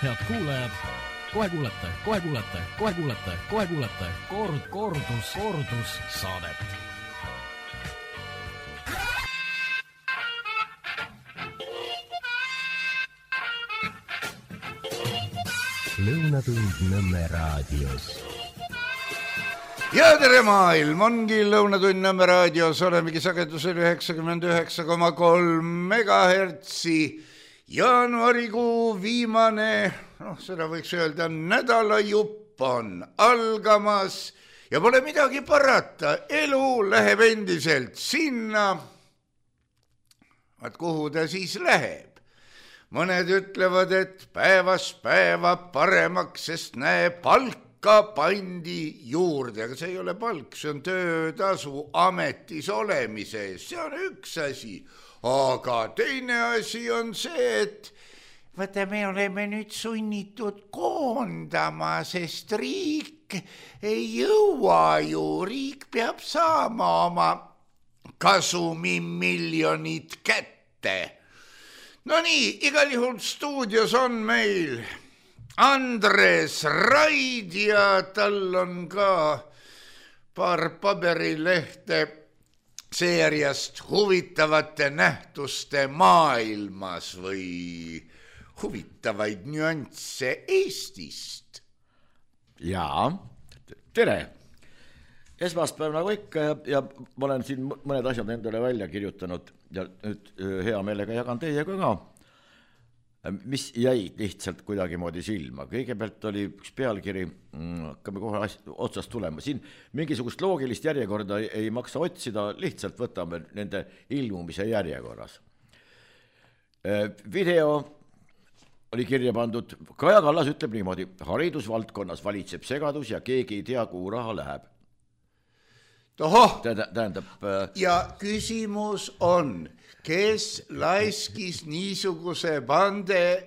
Head kuulajad, kohe kuulete kordus saadet. Lõunatund Nõmme raadios. Ja tere maailm, ongi Lõunatund Nõmme raadios, olemegi sagedusel 99,3 megahertsi. Jaanuarikuu viimane, seda võiks öelda, nädalajupp on algamas ja pole midagi parata, elu läheb endiselt sinna. Vaat kuhu ta siis läheb? Mõned ütlevad, et päevast päeva paremaks, sest näe, palka pandi juurde, aga see ei ole palk, see on töötasu ametis olemise eest, see on üks asi. Aga teine asi on see, et vaata, me oleme nüüd sunnitud koondama, sest riik ei jõua ju, riik peab saama oma kasumimiljonid kätte. No nii, igal juhul stuudios on meil Andres Raid ja tal on ka paar paberilehte seeriast huvitavate nähtuste maailmas või huvitavaid nüansse Eestist. Jaa, tere. Esmaspäev nagu ikka ja ma olen siin mõned asjad endale välja kirjutanud ja nüüd hea meelega jagan teiega ka, mis jäi lihtsalt kuidagi moodi silma. Kõigepealt oli üks pealkiri, hakkame kohe otsast tulema. Siin mingisugust loogilist järjekorda ei maksa otsida, lihtsalt võtame nende ilmumise järjekorras. Video oli kirja pandud, Kaja Kallas ütleb niimoodi, haridusvaldkonnas valitseb segadus ja keegi ei tea, kuhu raha läheb. Tähendab, ja küsimus on, kes laiskis niisuguse bande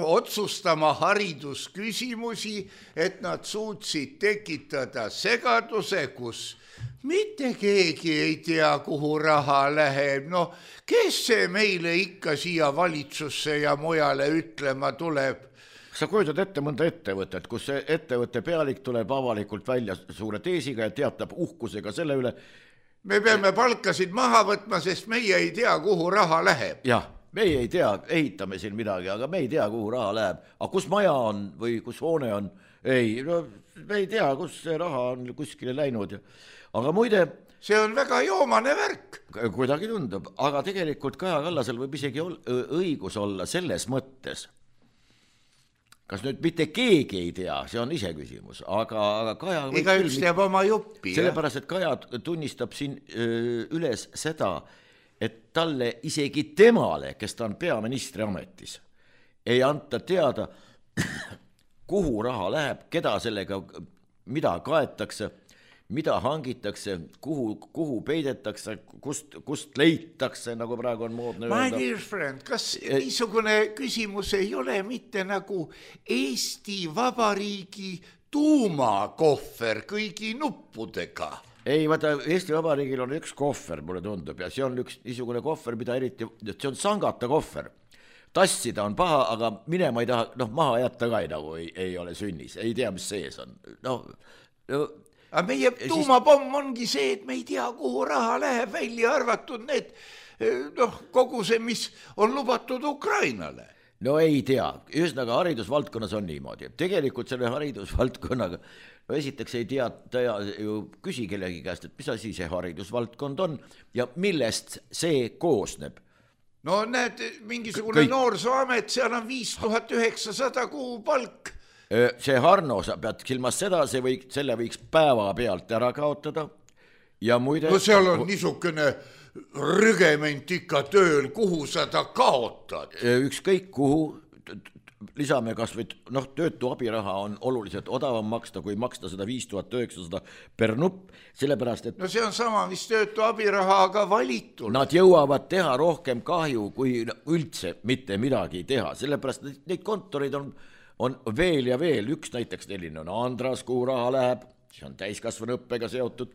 otsustama haridusküsimusi, et nad suutsid tekitada segaduse, kus mitte keegi ei tea, kuhu raha läheb. Kes see meile ikka siia valitsusse ja mujale ütlema tuleb? Sa kujutad ette mõnda ettevõtet, kus see ettevõtte pealik tuleb avalikult välja suure teesiga ja teatab uhkusega selle üle. Me peame palkasid maha võtma, sest meie ei tea, kuhu raha läheb. Jah, meie ei tea, ehitame siin midagi, aga me ei tea, kuhu raha läheb. Aga kus maja on või kus hoone on? Ei, me ei tea, kus see raha on kuskile läinud. Aga muide... See on väga joomane värk. Kuidagi tundub, aga tegelikult Kaja Kallasel võib isegi õigus olla selles mõttes. Kas nüüd mitte keegi ei tea, see on ise küsimus, aga Kaja... Iga üks teab oma juppi. Sellepärast, et Kaja tunnistab siin üles seda, et talle isegi temale, kes ta on peaministri ametis, ei anta teada, kuhu raha läheb, keda sellega, mida kaetakse, mida hangitakse, kuhu peidetakse, kust leitakse, nagu praegu on moodne öelda. My dear friend, kas niisugune küsimus ei ole mitte nagu Eesti Vabariigi tuumakohver kõigi nuppudega? Ei, vaata, Eesti Vabariigil on üks kohver, mulle tundub, ja see on üks niisugune kohver, mida eriti, see on sangata kohver. Tassida on paha, aga minema ei taha, maha jätta ka nagu ei ole sünnis, ei tea, mis sees on. Aga meie tuumapomm ongi see, et me ei tea, kuhu raha läheb, välja arvatud need, kogu see, mis on lubatud Ukrainale. No ei tea, ühesõnaga haridusvaldkonnas on niimoodi. Tegelikult selle haridusvaldkonnaga, esiteks ei tea, ju küsi kellegi käest, et mis asi see haridusvaldkond on ja millest see koosneb. No näed, mingisugune noorsooamet, seal on 5900 kuu palk. See Harno, sa pead silmas seda, selle võiks päeva pealt ära kaotada ja muide... No seal on niisugune rügement ikka tööl, kuhu sa ta kaotad? Ükskõik kuhu, lisame kas või, töötu abiraha on oluliselt odavam maksta, kui maksta seda 5900 per nupp, sellepärast, et... No see on sama, mis töötu abiraha, aga valitul. Nad jõuavad teha rohkem kahju, kui üldse mitte midagi teha, sellepärast, et neid kontoreid on veel ja veel, üks näiteks selline on Andras, kuhu raha läheb, see on täiskasvanuõppega seotud,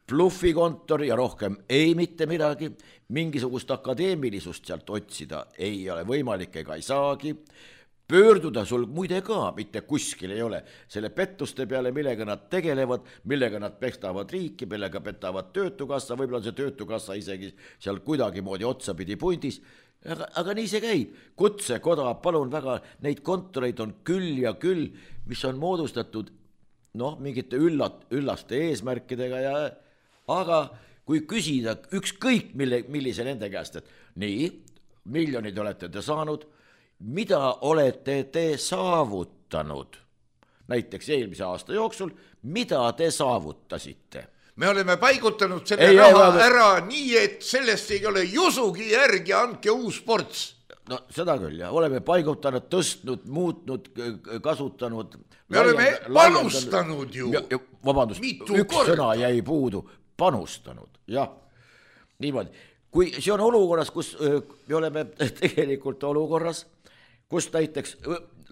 Bluffikontor ja rohkem ei mitte midagi, mingisugust akadeemilisust sealt otsida ei ole võimalik ega ei saagi, pöörduda sul muide ka mitte kuskil ei ole, selle pettuste peale, millega nad tegelevad, millega nad pestavad riiki, millega petavad töötukassa, võib-olla on see töötukassa isegi seal kuidagimoodi otsapidi pundis, aga nii see käib. Kutsekoda, palun väga, neid kontoreid on küll ja küll, mis on moodustatud mingite üllaste eesmärkidega aga kui küsida ükskõik millise nende käest, et nii, miljonid olete te saanud, mida olete te saavutanud? Näiteks eelmise aasta jooksul, mida te saavutasite? Me oleme paigutanud selle raha ära nii, et sellest ei ole jusugi järgi, andke uus ports. No seda küll, ja oleme paigutanud, tõstnud, muutnud, kasutanud. Me oleme panustanud ju. Vabandust, üks sõna jäi puudu, panustanud, jah, niimoodi. Kui see on olukorras, kus me oleme tegelikult olukorras, kus näiteks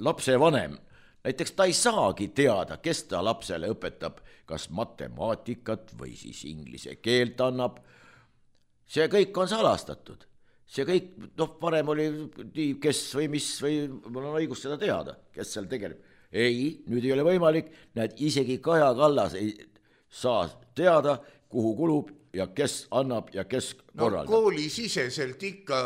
lapse vanem, näiteks ta ei saagi teada, kes ta lapsele õpetab, kas matemaatikat või siis inglise keelt annab. See kõik on salastatud. See kõik, varem oli nii, kes või mis või mul on õigus seda teada, kes seal tegeleb. Ei, nüüd ei ole võimalik, näed, isegi Kaja Kallas ei saa teada, kuhu kulub ja kes annab ja kes korraldab. Koolisiseselt ikka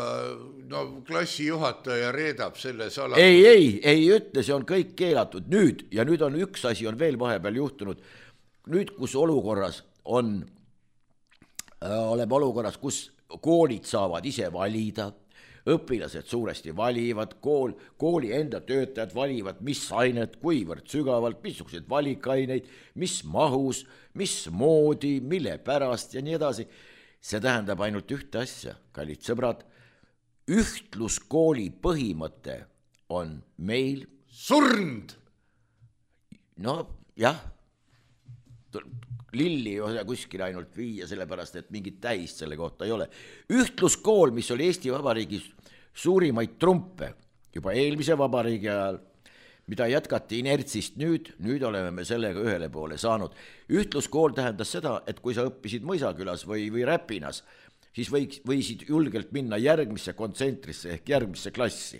klassijuhataja reedab selle saladus. Ei ütle, see on kõik keelatud. Nüüd on üks asi on veel vahepeal juhtunud. Nüüd, kus oleme olukorras, kus koolid saavad ise valida, õpilased suuresti valivad, kooli enda töötajad valivad, mis ained, kuivõrd sügavalt, missugused valikaineid, mis mahus, mis moodi, mille pärast ja nii edasi. See tähendab ainult ühte asja, kallid sõbrad, ühtluskooli põhimõte on meil surnud. Jah, lilli ei ole kuskil ainult viia, sellepärast, et mingit tähist selle kohta ei ole. Ühtluskool, mis oli Eesti Vabariigis suurimaid trumpe juba eelmise vabariigi ajal, mida jätkati inertsist nüüd oleme me sellega ühele poole saanud. Ühtluskool tähendas seda, et kui sa õppisid Mõisakülas või Räpinas, siis võisid julgelt minna järgmisse kontsentrisse ehk järgmisse klassi.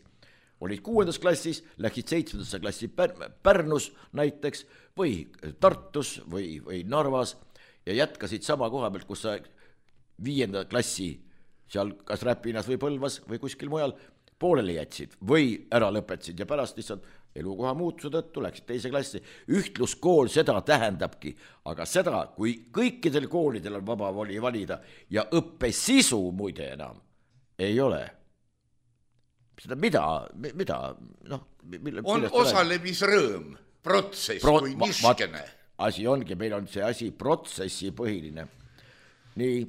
Olid 6. klassis, läksid 7. klassi Pärnus näiteks või Tartus või Narvas ja jätkasid sama koha pealt, kus sa 5. klassi seal kas Räpinas või Põlvas või kuskil mujal pooleli jätsid või ära lõpetasid ja pärast lihtsalt elukoha muutuse tõttu läksid 2. klassi. Ühtluskool seda tähendabki, aga seda, kui kõikidel koolidel on vaba voli valida ja õppesisu muide enam ei ole. Seda mida? On osalemisrõõm, protsess kui niskene. Asi ongi, meil on see asi protsessi põhiline. Nii,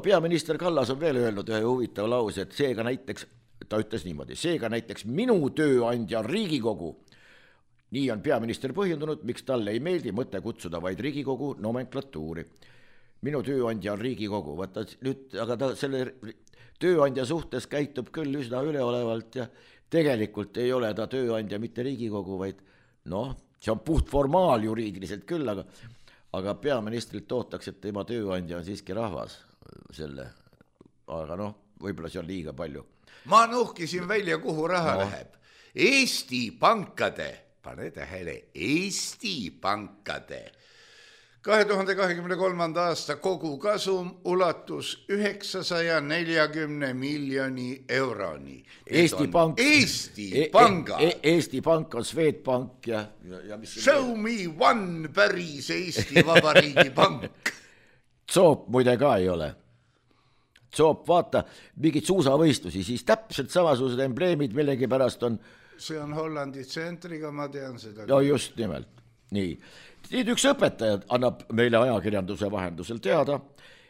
peaminister Kallas on veel öelnud ühe huvitava lause, et seega näiteks, ta ütles niimoodi, seega näiteks minu tööandja on Riigikogu. Nii on peaminister põhjendunud, miks talle ei meeldi mõte kutsuda vaid Riigikogu nomenklatuuri. Minu tööandja on Riigikogu, vaata nüüd, aga ta selle tööandja suhtes käitub küll üsna üleolevalt ja tegelikult ei ole ta tööandja mitte Riigikogu, vaid see on puht formaal juriidiliselt küll, aga peaministrilt ootaks, et tema tööandja on siiski rahvas selle, aga võib-olla see on liiga palju. Ma nuhkisin välja, kuhu raha läheb. Eesti pankade, pane tähele, Eesti pankade 2023. aasta kogukasum ulatus 940 miljoni euroni. Eesti Pank on Swedbank ja Show me one päris Eesti Vabariigi pank. Zoop muide ka ei ole. Zoop, vaata, mingid suusavõistlusi, siis täpselt samasugused embleemid millegi pärast on. See on Hollandi tsentriga, ma tean seda. No just nimelt, nii. Nüüd üks õpetaja annab meile ajakirjanduse vahendusel teada,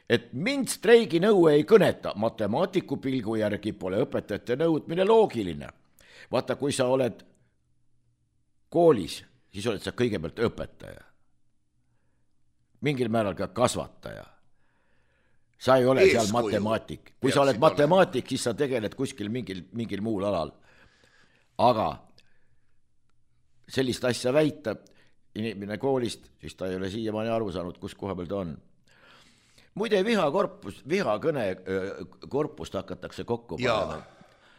et mind streigi nõue ei kõneta, matemaatiku pilgu järgi pole õpetajate nõudmine loogiline. Vaata, kui sa oled koolis, siis oled sa kõigepealt õpetaja. Mingil määral ka kasvataja. Sa ei ole seal matemaatik. Kui sa oled matemaatik, siis sa tegeled kuskil mingil muul alal. Aga sellist asja väita, inimene koolist, siis ta ei ole siiamaani aru saanud, kus koha peal ta on. Muide, vihakõne korpust hakatakse kokku panema.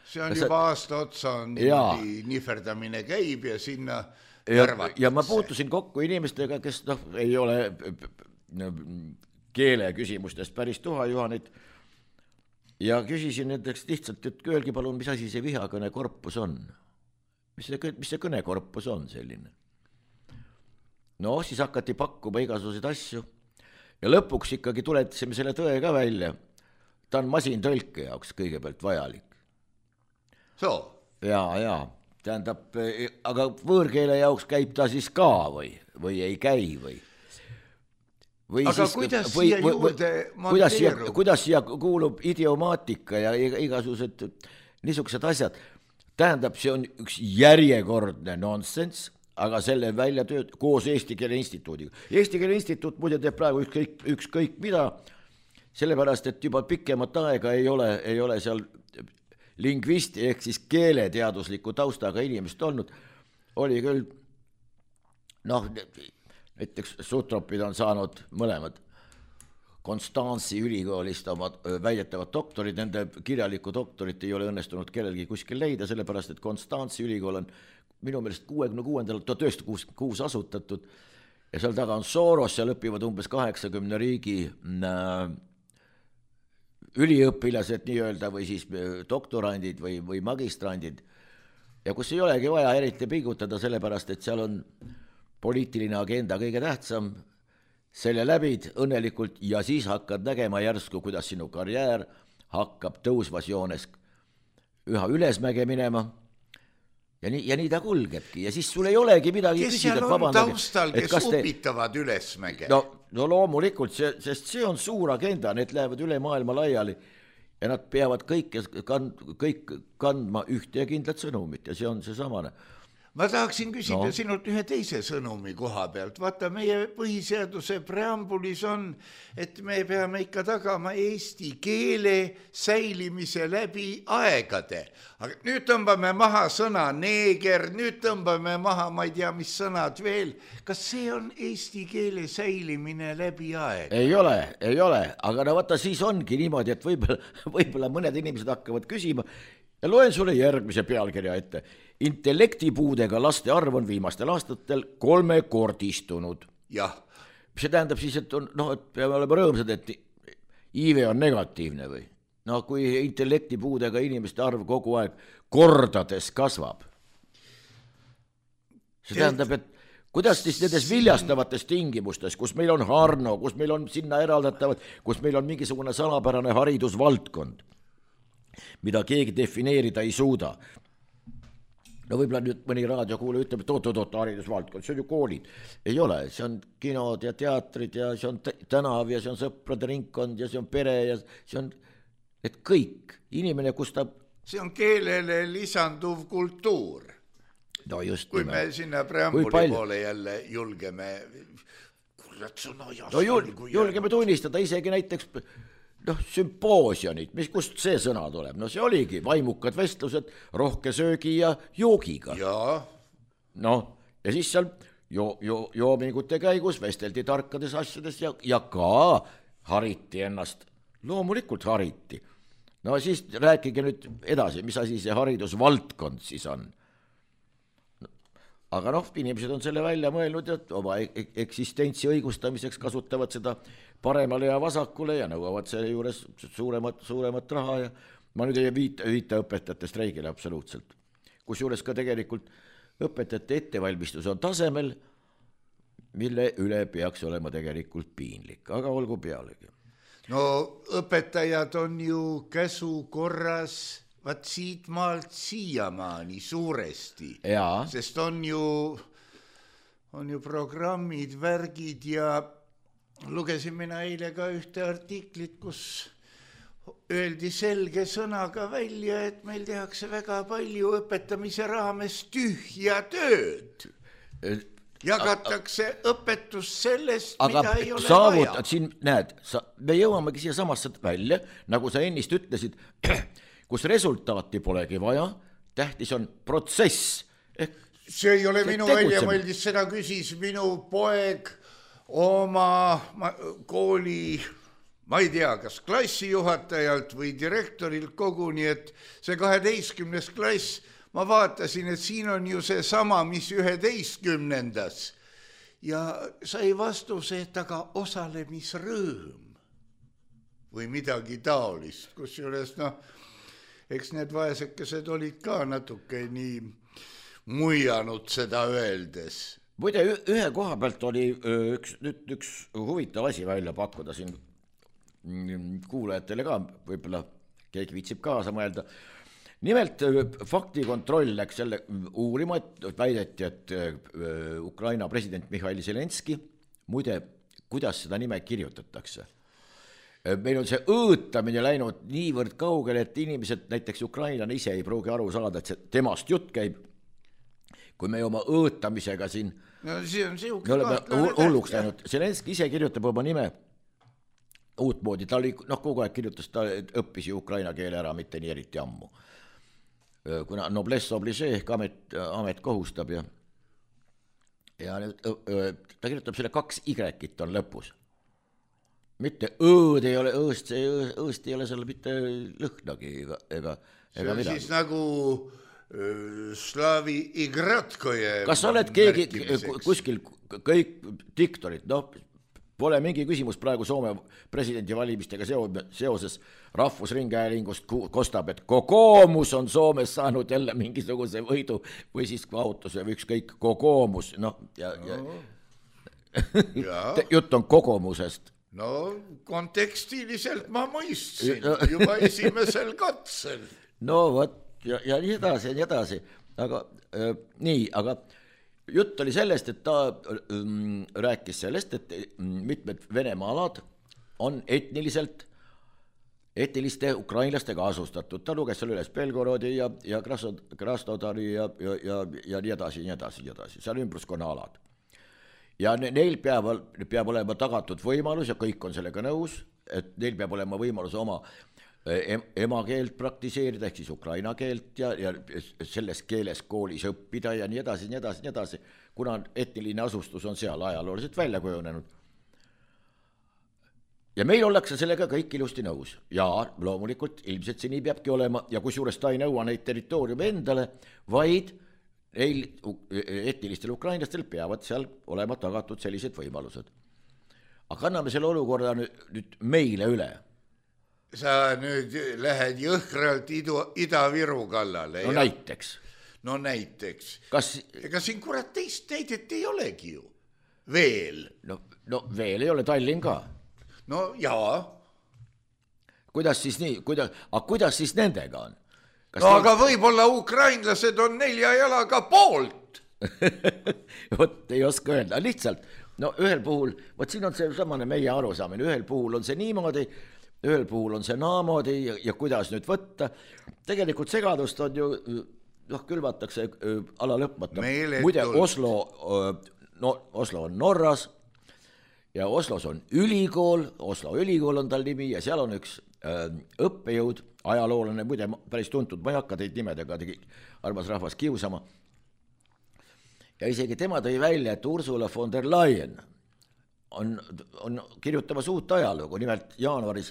see on juba aasta otsa on niimoodi nihverdamine käib ja sinna värvatakse. Ja ma puutusin kokku inimestega, kes ei ole keele küsimustest päris tuhajuhanid ja küsisin nendeks lihtsalt, et öelgi palun, mis asi see vihakõne korpus on? Mis see kõnekorpus on selline? No siis hakati pakkuma igasuguseid asju ja lõpuks ikkagi tuletasime selle tõe ka välja. Ta on masintõlke jaoks kõigepealt vajalik. Ja, tähendab, aga võõrkeele jaoks käib ta siis ka või ei käi või? Aga siis, kuidas siia juurde monteerub? Kuidas siia kuulub idiomaatika ja igasugused niisugused asjad? Tähendab, see on üks järjekordne nonsense, aga selle välja tööd koos Eesti Keele Instituudiga. Eesti Keele Instituut muide teeb praegu ükskõik mida, sellepärast, et juba pikemat aega ei ole seal lingvisti ehk siis keeleteadusliku taustaga inimest olnud. Oli küll, näiteks Sutropid on saanud mõlemad Konstantsi ülikoolist oma väidetavad doktorid, nende kirjalikku doktorit ei ole õnnestunud kellelgi kuskil leida, sellepärast, et Konstantsi ülikool on minu meelest 1966 asutatud ja seal taga on Soros, seal õpivad umbes 80 riigi üliõpilased nii-öelda või siis doktorandid või magistrandid ja kus ei olegi vaja eriti pingutada, sellepärast, et seal on poliitiline agenda kõige tähtsam, selle läbid õnnelikult ja siis hakkad nägema järsku, kuidas sinu karjäär hakkab tõusvas joones üha ülesmäge minema ja nii ta kulgebki ja siis sul ei olegi midagi kes seal on taustal, kes upitavad ülesmäge? No loomulikult, sest see on suur agenda, need lähevad üle maailma laiali ja nad peavad kõik kandma ühte ja kindlat sõnumit ja see on see samane. Ma tahaksin küsida sinult ühe teise sõnumi koha pealt. Vaata, meie põhiseaduse preambulis on, et me peame ikka tagama eesti keele säilimise läbi aegade. Aga nüüd tõmbame maha sõna neeger, nüüd tõmbame maha, ma ei tea, mis sõnad veel. Kas see on eesti keele säilimine läbi aeg? Ei ole, aga vaata, siis ongi niimoodi, et võib-olla mõned inimesed hakkavad küsima ja loen sulle järgmise pealkirja ette. Intellektipuudega laste arv on viimastel aastatel 3-kordistunud. Jah. Mis see tähendab siis, et peame olema rõõmsad, et iive on negatiivne või? Kui intellektipuudega inimeste arv kogu aeg kordades kasvab. See tähendab, et kuidas siis nendes viljastavates tingimustes, kus meil on Harno, kus meil on sinna eraldatavad, kus meil on mingisugune salapärane haridusvaldkond, mida keegi defineerida ei suuda. Võib-olla nüüd mõni raadiokuulaja ütleb, et oot, haridusvaldkond, see on ju koolid. Ei ole, see on kinod ja teatrid ja see on tänav ja see on sõprade ringkond ja see on pere ja see on et kõik. Inimene, kus ta... See on keelele lisanduv kultuur. No just. Kui me sinna preambuli poole jälle julgeme... julgeme tunnistada isegi näiteks... sümpoosianid, kust see sõna tuleb? See oligi vaimukad vestlused rohke söögi ja joogiga. Ja siis seal joomingute käigus vesteldi tarkades asjades ja ka hariti ennast. Loomulikult hariti. Siis rääkige nüüd edasi, mis asi see haridusvaldkond siis on. Aga inimesed on selle välja mõelnud ja oma eksistentsi õigustamiseks kasutavad seda paremale ja vasakule ja nõuavad selle juures suuremat raha ja ma nüüd ei viita õpetajate streigile absoluutselt. Kusjuures ka tegelikult õpetajate ettevalmistus on tasemel, mille üle peaks olema tegelikult piinlik, aga olgu pealegi. Õpetajad on ju käsu korras vaat siit maalt siiamaani suuresti, sest on ju programmid, värgid ja lugesin mina eile ka ühte artiklit, kus öeldi selge sõnaga välja, et meil tehakse väga palju õpetamise raames tühja tööd. Jagatakse õpetus sellest, mida ei ole vaja. Siin, näed, me jõuamegi siia samasse välja, nagu sa ennist ütlesid, kus resultaati polegi vaja, tähtis on protsess. See ei ole minu väljamõeldis, seda küsis minu poeg oma kooli ma ei tea, kas klassijuhatajalt või direktorilt koguni, et see 12. klass, ma vaatasin, et siin on ju see sama, mis 11. Ja sai vastuse, et aga osalemisrõõm või midagi taolist, kusjuures eks need vaesekesed olid ka natuke nii muianud seda öeldes. Muide, ühe koha pealt oli üks huvitav asi välja pakkuda siin kuulajatele ka, võib-olla keegi viitsib kaasa mõelda. Nimelt faktikontroll läks selle uurima, et väideti, et Ukraina president Mihhail Zelenski, muide, kuidas seda nime kirjutatakse. Meil on see õõtamine läinud niivõrd kaugele, et inimesed, näiteks ukrainlane ise ei pruugi aru saada, et see temast jutt käib, kui me oma õõtamisega siin me oleme hulluks läinud. Zelenski ise kirjutab oma nime uutmoodi, ta oli, kogu aeg kirjutas, ta õppis ju ukraina keele ära, mitte nii eriti ammu. Kuna noblesse oblige ehk amet kohustab ja ta kirjutab selle 2 y-t on lõpus. Mitte õõd ei ole, õõst ei ole seal mitte lõhnagi ega midagi. Siis nagu Slaavi Igratkoje. Kas sa oled keegi kuskil kõik diktorid, pole mingi küsimus praegu Soome presidendivalimistega seoses Rahvusringhäälingust kostab, et kokoomus on Soomes saanud jälle mingisuguse võidu või siis kaotuse või ükskõik kokoomus, jutt on kogumusest. No kontekstiliselt ma mõistsin juba esimesel katsel. No vot, ja nii edasi, aga nii, aga jutt oli sellest, et ta rääkis sellest, et mitmed Venemaa alad on etniliste ukrainlastega asustatud. Ta luges seal üles Belgorodi ja Krasnodari ja nii edasi. See on ümbruskonna alad. Ja neil peab olema tagatud võimalus ja kõik on sellega nõus, et neil peab olema võimalus oma emakeelt praktiseerida, ehk siis ukraina keelt ja selles keeles koolis õppida ja nii edasi, kuna etniline asustus on seal ajalooliselt välja kujunenud. Ja meil ollakse sellega kõik ilusti nõus. Ja loomulikult ilmselt see nii peabki olema ja kusjuures ta ei nõua neid territooriume endale, vaid neil etnilistel ukrainlastel peavad seal olema tagatud sellised võimalused. Aga anname selle olukorda nüüd meile üle. Sa nüüd lähed jõhkralt Ida-Viru kallale. No näiteks. Ega siin kurat teist näidet ei olegi ju. Veel. No veel ei ole Tallinn ka. No jaa. Kuidas siis nii? Kuidas siis nendega on? Aga võib-olla ukrainlased on 4 jalaga poolt. Vot ei oska öelda. Lihtsalt, ühel puhul, vot siin on see samane meie arusaamine, ühel puhul on see niimoodi, ühel puhul on see naamoodi ja kuidas nüüd võtta. Tegelikult segadust on ju, külvatakse ala lõpmata. Muide, Oslo on Norras ja Oslos on ülikool, Oslo ülikool on tal nimi ja seal on üks õppejõud, ajaloolane, muide päris tuntud, ma ei hakka teid nimedega, armas rahvas kiusama. Ja isegi tema tõi välja, et Ursula von der Leyen on kirjutamas uut ajalugu, nimelt jaanuaris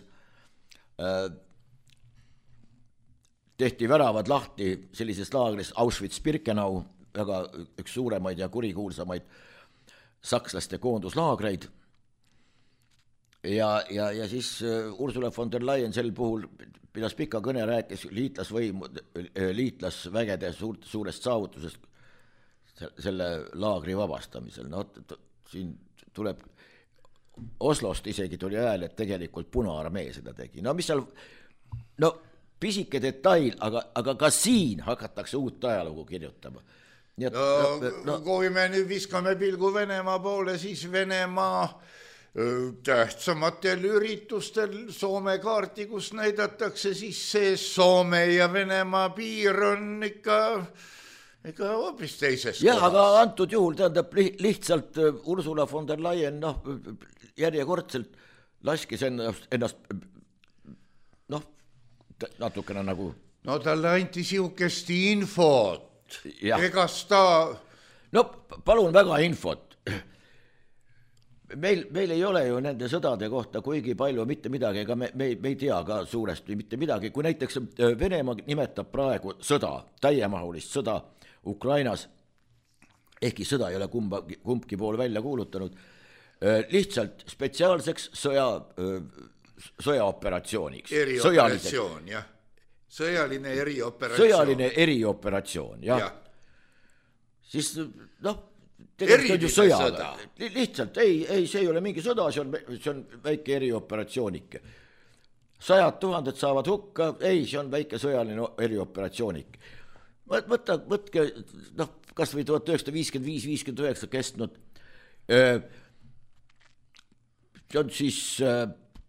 tehti väravad lahti sellises laagris Auschwitz-Birkenau, väga üks suuremaid ja kurikuulsamaid sakslaste koonduslaagreid. Ja siis Ursula von der Leyen sel puhul pidas pika kõne, rääkis liitlasvägede suurest saavutusest selle laagri vabastamisel. Siin tuleb Oslost isegi tuli hääl, et tegelikult Punaarmee seda tegi. Mis seal, pisike detail, aga ka siin hakatakse uut ajalugu kirjutama. Kui me nüüd viskame pilgu Venemaa poole, siis Venemaa tähtsamatel üritustel Soome kaarti, kus näidatakse, siis see Soome ja Venemaa piir on ikka hoopis teises kohas. Jah, aga antud juhul tähendab lihtsalt Ursula von der Leyen järjekordselt laskis ennast natukene nagu... talle anti siukest infot. Egas ta... palun väga infot. meil ei ole ju nende sõdade kohta kuigi palju mitte midagi, ega me ei tea ka suuresti mitte midagi, kui näiteks Venemaa nimetab praegu sõda, täiemahulist sõda Ukrainas, ehkki sõda ei ole kumbki pool välja kuulutanud, lihtsalt spetsiaalseks sõjaoperatsiooniks. Erioperatsioon, jah. Sõjaline erioperatsioon. Sõjaline erioperatsioon, jah. Siis tegelikult on ju sõja. Lihtsalt, ei, see ei ole mingi sõda, see on väike erioperatsioonike. 100 000 saavad hukka, ei, see on väike sõjaline erioperatsioonike. Võtke, kas või 1955-59 kestnud, see on siis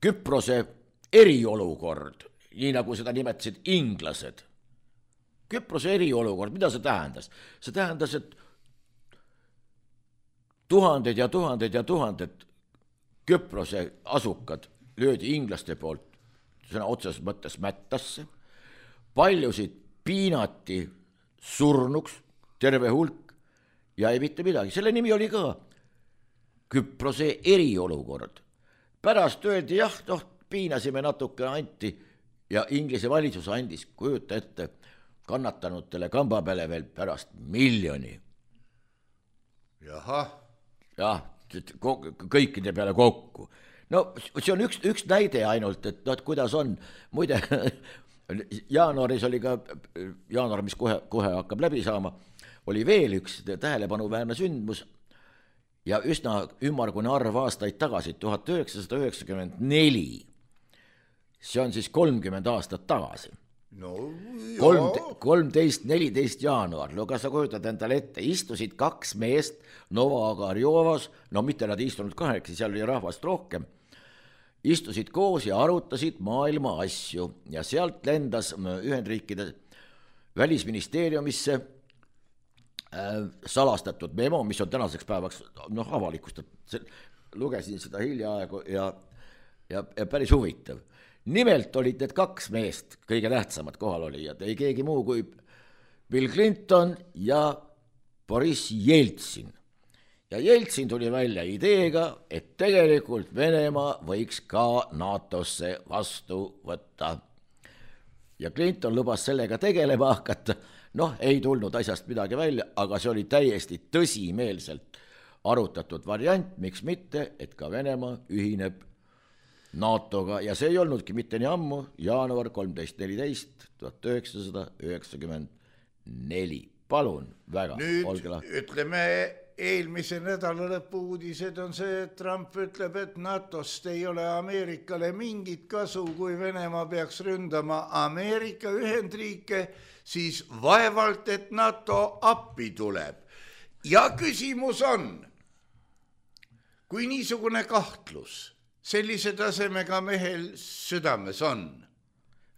Küprose eriolukord, nii nagu seda nimetasid inglased. Küprose eriolukord, mida see tähendas? See tähendas, et tuhanded ja tuhanded Küprose asukad löödi inglaste poolt sõna otseses mõttes mättasse, paljusid piinati surnuks, terve hulk ja ei mitte midagi. Selle nimi oli ka Küprose eriolukord. Pärast öeldi, jah, piinasime natuke anti ja Inglise valitsus andis, kujuta ette, kannatanutele kamba peale veel pärast 1 miljoni. Jahah. Jah, kõikide peale kokku. No see on üks näide ainult, et kuidas on. Muide, jaanuaris oli ka, jaanuar, mis kohe hakkab läbi saama, oli veel üks tähelepanuväärne sündmus ja üsna ümmargune arv aastaid tagasi, 1994. See on siis 30 aastat tagasi. No, 13-14 jaanuar, no kas sa kujutad endale ette, istusid 2 meest Nova-Agarjovas, no mitte nad istunud 8, seal oli rahvast rohkem, istusid koos ja arutasid maailma asju ja sealt lendas Ühendriikide välisministeeriumisse salastatud memo, mis on tänaseks päevaks avalikustatud, lugesin seda hiljaaegu ja päris huvitav. Nimelt olid need 2 meest, kõige tähtsamad kohalolijad, ei keegi muu kui Bill Clinton ja Boris Jeltsin. Ja Jeltsin tuli välja ideega, et tegelikult Venemaa võiks ka NATO-sse vastu võtta. Ja Clinton lubas sellega tegelema hakata, ei tulnud asjast midagi välja, aga see oli täiesti tõsimeelselt arutatud variant, miks mitte, et ka Venemaa ühineb NATO-ga ja see ei olnudki mitte nii ammu, jaanuar 13.14. 1994. Palun väga. Nüüd ütleme, eelmise nädala lõpu uudised on see, et Trump ütleb, et NATO-st ei ole Ameerikale mingit kasu, kui Venemaa peaks ründama Ameerika Ühendriike, siis vaevalt, et NATO appi tuleb. Ja küsimus on, kui niisugune kahtlus sellise tasemega mehel südames on.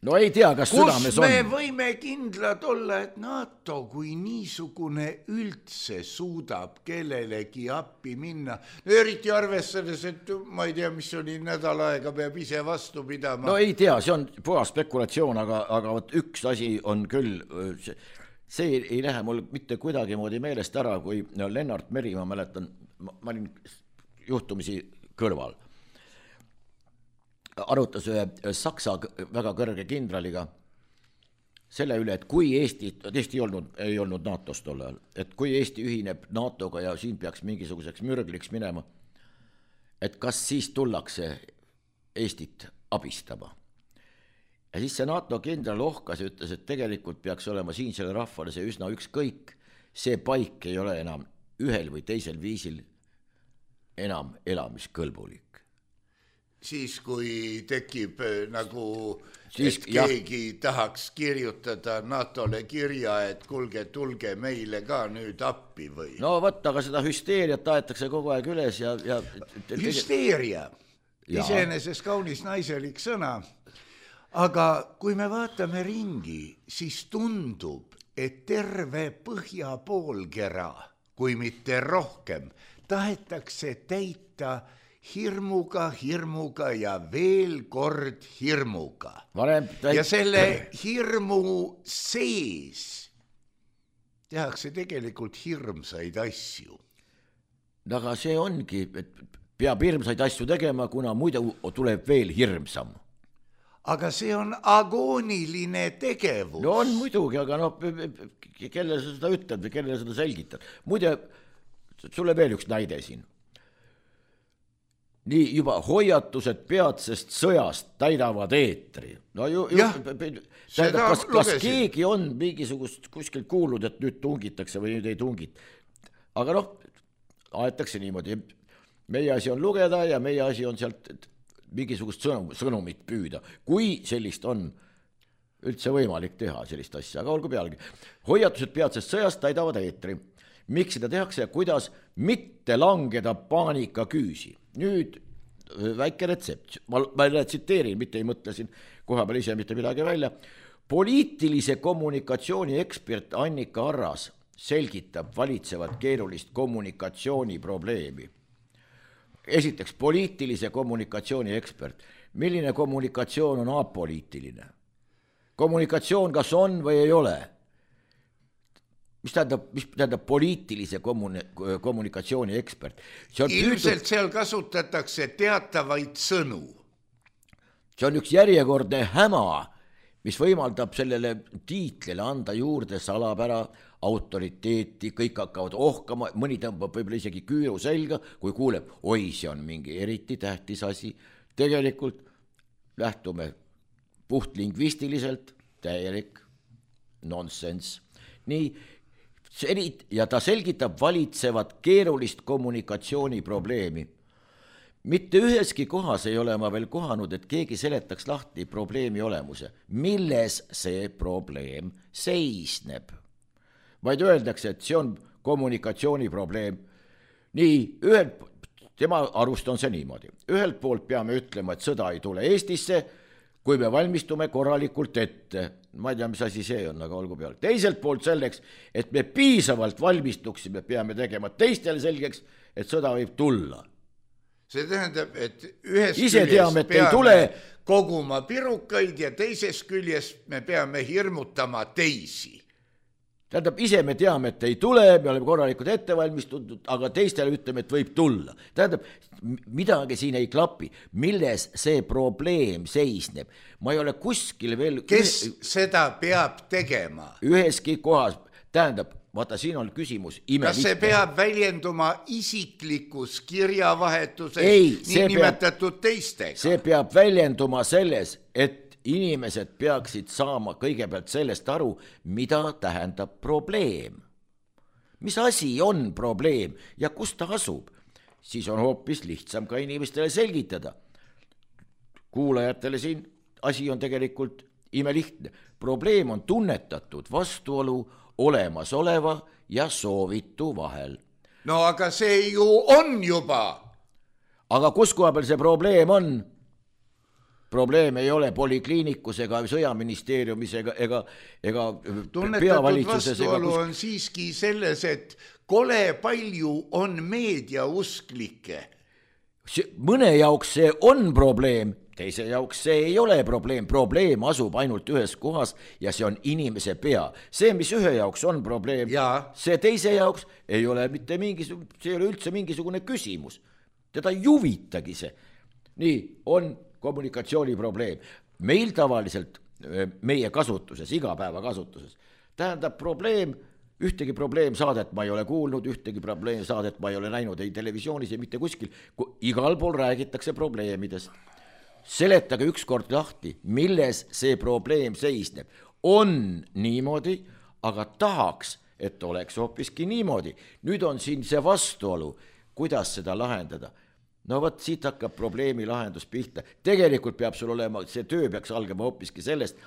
No ei tea, kas südames on. Kus me võime kindlad olla, et NATO kui niisugune üldse suudab kellelegi appi minna. Eriti arvestades, et ma ei tea, mis oli nädal aega, peab ise vastu pidama. No ei tea, see on puhas spekulatsioon, aga üks asi on küll, see ei lähe mul mitte kuidagi moodi meelest ära, kui Lennart Meri, ma mäletan, ma olin juhtumisi kõrval. Arutas ühe Saksa väga kõrge kindraliga selle üle, et kui Eesti ei olnud NATO-s tol ajal, et kui Eesti ühineb NATO-ga ja siin peaks mingisuguseks mürgliks minema, et kas siis tullakse Eestit abistama. Ja siis see NATO kindral ohkas ja ütles, et tegelikult peaks olema siinsele rahvale see üsna ükskõik, see paik ei ole enam ühel või teisel viisil enam elamiskõlbulik. Siis kui tekib keegi tahaks kirjutada NATO-le kirja, et kulge, tulge meile ka nüüd appi või? No võtta, aga seda hüsteeriat aetakse kogu aeg üles ja hüsteeria, iseenesest kaunis naiselik sõna, aga kui me vaatame ringi, siis tundub, et terve põhja poolkera, kui mitte rohkem, tahetakse täita hirmuga ja veel kord hirmuga. Ja selle hirmu sees tehakse tegelikult hirmsaid asju. Aga see ongi, et peab hirmsaid asju tegema, kuna muidu tuleb veel hirmsam. aga see on agooniline tegevus. No on muidugi, aga noh, kellele sa seda ütled või kellele seda selgitad. Muide, sulle veel üks näide siin. Nii juba hoiatused peatsest sõjast täidavad eetri. No kas keegi on mingisugust kuskil kuulnud, et nüüd tungitakse või nüüd ei tungita. Aga noh, aetakse niimoodi. Meie asi on lugeda ja meie asi on sealt mingisugust sõnumit püüda. Kui sellist on üldse võimalik teha sellist asja, aga olgu pealegi. Hoiatused peatsest sõjast täidavad eetri. Miks seda tehakse ja kuidas mitte langeda paanikaküüsi? Nüüd väike retsept. Ma tsiteerin, mitte ei mõtle siin koha peal ise mitte midagi välja. Poliitilise kommunikatsiooni ekspert Annika Arras selgitab valitsevat keerulist kommunikatsiooni probleemi. Esiteks, poliitilise kommunikatsiooni ekspert. Milline kommunikatsioon on apoliitiline? Kommunikatsioon kas on või ei ole? Mis tähendab poliitilise kommunikatsiooni ekspert? Ilmselt seal kasutatakse teatavaid sõnu. See on üks järjekordne häma, mis võimaldab sellele tiitlile anda juurde salapära, autoriteeti, kõik hakkavad ohkama, mõni tõmbab võib-olla isegi küüru selga, kui kuuleb, oi, see on mingi eriti tähtis asi. Tegelikult lähtume puhtlingvistiliselt, täielik nonsense. Nii, ja ta selgitab valitsevat keerulist kommunikatsiooni probleemi. Mitte üheski kohas ei ole ma veel kohanud, et keegi seletaks lahti probleemi olemuse. Milles see probleem seisneb? Vaid öeldakse, et see on kommunikatsiooni probleem. Nii, tema arust on see niimoodi. Ühelt poolt peame ütlema, et sõda ei tule Eestisse, kui me valmistume korralikult ette. Ma ei tea, mis asi see on, aga olgu peale. Teiselt poolt selleks, et me piisavalt valmistuksime, peame tegema teistele selgeks, et sõda võib tulla. See tähendab, et ühest küljest peame koguma pirukaid ja teisest küljest me peame hirmutama teisi. Tähendab, ise me teame, et ei tule, me oleme korralikult ette valmistunud, aga teistele ütleme, et võib tulla. Tähendab, midagi siin ei klapi. Milles see probleem seisneb? Ma ei ole kuskil veel... Kes seda peab tegema? Üheski kohas. Tähendab, vaata, siin on küsimus Kas see peab väljenduma isiklikus kirjavahetuses niinimetatud teistega? See peab väljenduma selles, et inimesed peaksid saama kõigepealt sellest aru, mida tähendab probleem. Mis asi on probleem ja kus ta asub? Siis on hoopis lihtsam ka inimestele selgitada. Kuulajatele siin asi on tegelikult imelihtne. Probleem on tunnetatud vastuolu olemasoleva ja soovitu vahel. No aga see ju on juba. Aga kus koha peal see probleem on? Probleem ei ole polikliinikus ega sõjaministeeriumis ega peavalitsuses. Vastuolu on siiski selles, et kole palju on meediausklikke. Mõne jaoks see on probleem, teise jaoks see ei ole probleem. Probleem asub ainult ühes kohas ja see on inimese pea. See, mis ühe jaoks on probleem, see teise jaoks ei ole mitte see ei ole üldse mingisugune küsimus. Teda ei huvitagi see. Nii, on kommunikatsiooni probleem. Meil tavaliselt meie kasutuses, igapäeva kasutuses, tähendab probleem, ühtegi probleemsaadet ma ei ole kuulnud, ühtegi probleemsaadet ma ei ole näinud ei televisioonis ja mitte kuskil. Igal pool räägitakse probleemidest. Seletage ükskord lahti, milles see probleem seisneb. On niimoodi, aga tahaks, et oleks hoopiski niimoodi. Nüüd on siin see vastuolu, kuidas seda lahendada. No võt, siit hakkab probleemi lahendus pihta. Tegelikult peab sul olema, see töö peaks algama hoopiski sellest,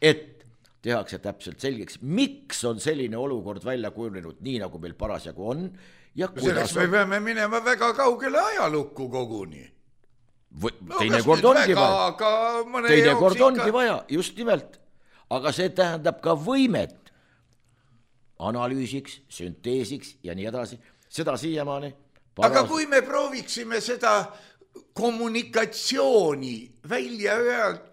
et tehakse täpselt selgeks, miks on selline olukord välja kujunenud nii, nagu meil parasjagu on. Ja selleks me peame minema väga kaugele ajalukku koguni. Teinekord ongi vaja, just nimelt. Aga see tähendab ka võimet analüüsiks, sünteesiks ja nii edasi. Seda siiamaani. Aga kui me prooviksime seda kommunikatsiooni välja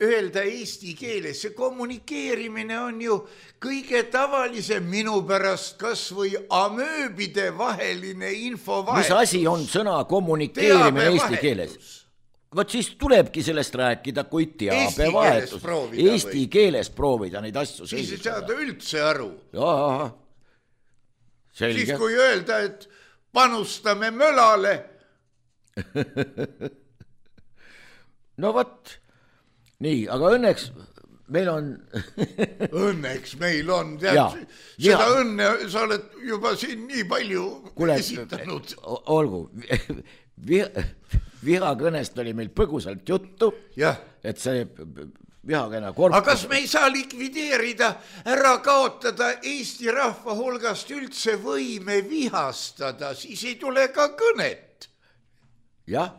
öelda eesti keeles. See kommunikeerimine on ju kõige tavalisem minu pärast kas või amööbide vaheline infovahetus. Mis asi on sõna kommunikeerimine eesti keeles? Vot siis tulebki sellest rääkida, kui teabevahetus. Eesti keeles proovida neid asju selgitada. Siis ei saada üldse aru. Jaa, selge. Siis kui öelda, et panustame mölale. No võt, nii, aga õnneks meil on... Õnneks meil on, seda õnne sa oled juba siin nii palju esitanud. Olgu, vihakõnest oli meil põgusalt juttu, et see vihakõne korpus... Aga kas me ei saa likvideerida, ära kaotada Eesti rahva hulgast üldse võime vihastada, siis ei tule ka kõnet. Jah.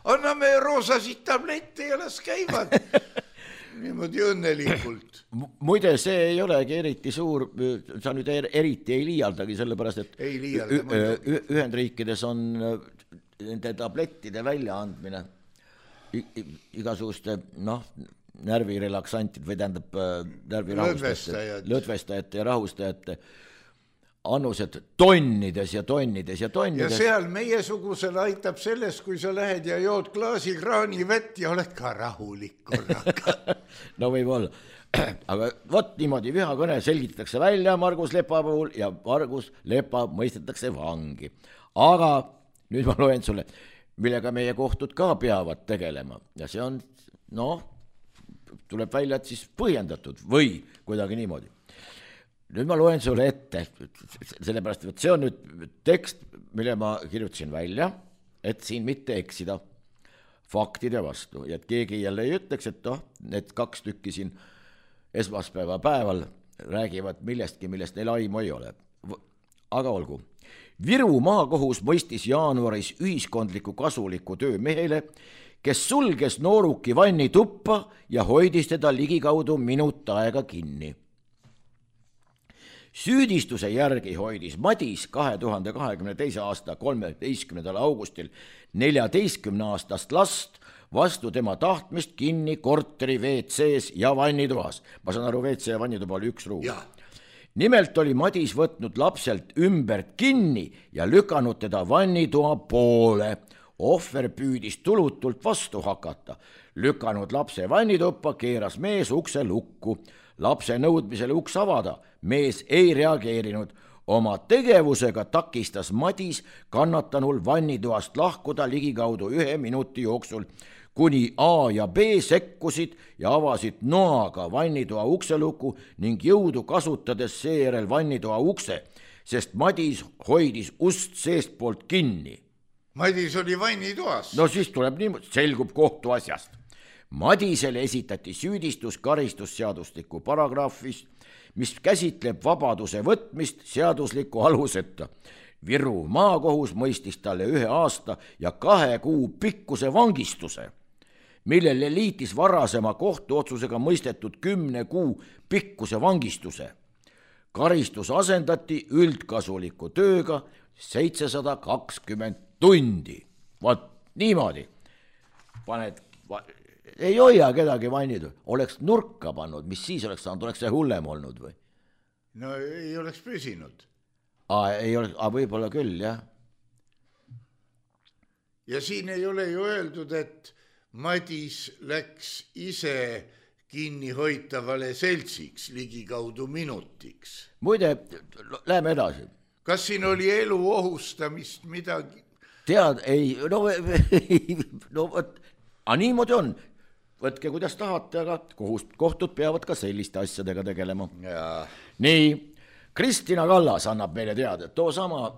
Anname roosasid tablette ja las käivad niimoodi õnnelikult. Muide, see ei olegi eriti suur, sa nüüd eriti ei liialdagi, sellepärast, et Ühendriikides on nende tablettide väljaandmine igasuguste, närvirelaksantid või tähendab lõdvestajate ja rahustajate annused tonnides ja tonnides ja tonnides. Ja seal meiesugusel aitab sellest, kui sa lähed ja jood klaasi kraani vett ja oled ka rahulik korraga. No võib olla. Aga võt niimoodi vihakõne selgitatakse välja Margus Lepa puhul ja Margus Lepa mõistetakse vangi. Aga nüüd ma loen sulle, millega meie kohtud ka peavad tegelema. Ja see on, tuleb välja, et siis põhjendatud või kuidagi niimoodi. Nüüd ma loen sulle ette, sellepärast, et see on nüüd tekst, mille ma kirjutasin välja, et siin mitte eksida faktide vastu. Ja et keegi jälle ei ütleks, et need 2 tükki siin esmaspäeva päeval räägivad millestki, millest neil aimu ei ole. Aga olgu. Viru maakohus mõistis jaanuaris ühiskondliku kasuliku töö mehele, kes sulges nooruki vanni tuppa ja hoidis teda ligikaudu minut aega kinni. Süüdistuse järgi hoidis Madis 2022. aasta 13. augustil 14-aastast last vastu tema tahtmist kinni korteri WC-s ja vannitoas. Ma saan aru, WC ja vannituba oli 1 ruum. Nimelt oli Madis võtnud lapselt ümbert kinni ja lükanud teda vannitoa poole. Ohver püüdis tulutult vastu hakata. Lükanud lapse vannituppa, keeras mees ukse lukku. Lapse nõudmisele uks avada, mees ei reageerinud. Oma tegevusega takistas Madis kannatanul vannitoast lahkuda ligikaudu 1 minuti jooksul, kuni A ja B sekkusid ja avasid noaga vannitoa ukseluku ning jõudu kasutades seejärel vannitoa ukse, sest Madis hoidis ust seestpoolt kinni. Madis oli vannitoas. No siis tuleb niimoodi, selgub kohtu asjast. Madisele esitati süüdistus karistusseadustiku paragrahvis, mis käsitleb vabaduse võtmist seadusliku aluseta. Viru maakohus mõistis talle 1 aasta ja 2 kuu pikkuse vangistuse, millele liitis varasema kohtuotsusega mõistetud 10 kuu pikkuse vangistuse. Karistus asendati üldkasuliku tööga 720 tundi. Vaat niimoodi. Ei hoia kedagi vannitud. Oleks nurka pannud, mis siis oleks saanud, oleks see hullem olnud või? No ei oleks püsinud. Võib-olla küll, jah. Ja siin ei ole ju öeldud, et Madis läks ise kinnihoitavale seltsiks ligikaudu minutiks. Muide, läheme edasi. Kas siin oli elu ohustamist midagi? Tead, ei, niimoodi on. Võtke, kuidas tahate, aga kohtud peavad ka selliste asjadega tegelema. Nii, Kristina Kallas annab meile teada, et too sama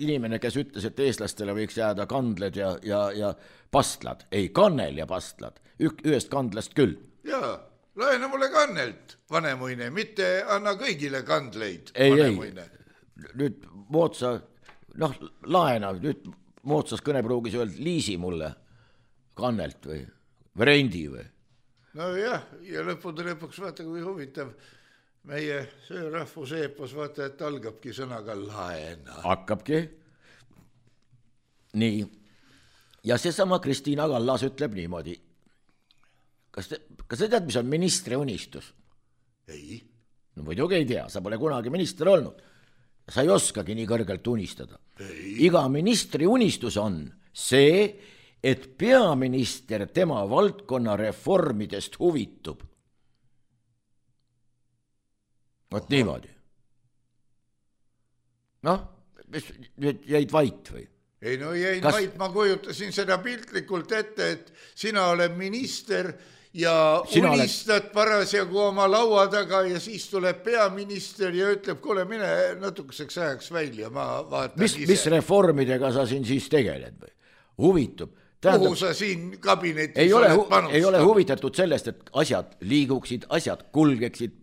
inimene, kes ütles, et eestlastele võiks jääda kandled ja pastlad. Ei, kannel ja pastlad. Ühest kandlast küll. Jaa, laena mulle kannelt, vanemuine, mitte anna kõigile kandleid, vanemuine. Nüüd moodsa, laena, nüüd moodsas kõnepruugis öelda liisi mulle kannelt või rendi või? No jah, ja lõpuks vaata, kui huvitav meie söörahvus eepos, vaata, et algabki sõnaga laena. Hakkabki. Nii, ja seesama Kristiina Kallas ütleb niimoodi. Kas sa tead, mis on ministri unistus? Ei. No muidugi ei tea, sa pole kunagi minister olnud. Sa ei oskagi nii kõrgelt unistada. Iga ministri unistus on see, et peaminister tema valdkonna reformidest huvitub. Vot niimoodi. Noh, jäid vait või? Ei no jäin vait, ma kujutasin seda piltlikult ette, et sina oled minister ja unistad parasjagu oma laua taga ja siis tuleb peaminister ja ütleb, kuule, mine natukeseks ajaks välja, ma vaatan ise. Mis reformidega sa siin siis tegeled või? Huvitub. Kuhu sa siin kabinetis ei ole huvitatud sellest, et asjad liiguksid, asjad kulgeksid.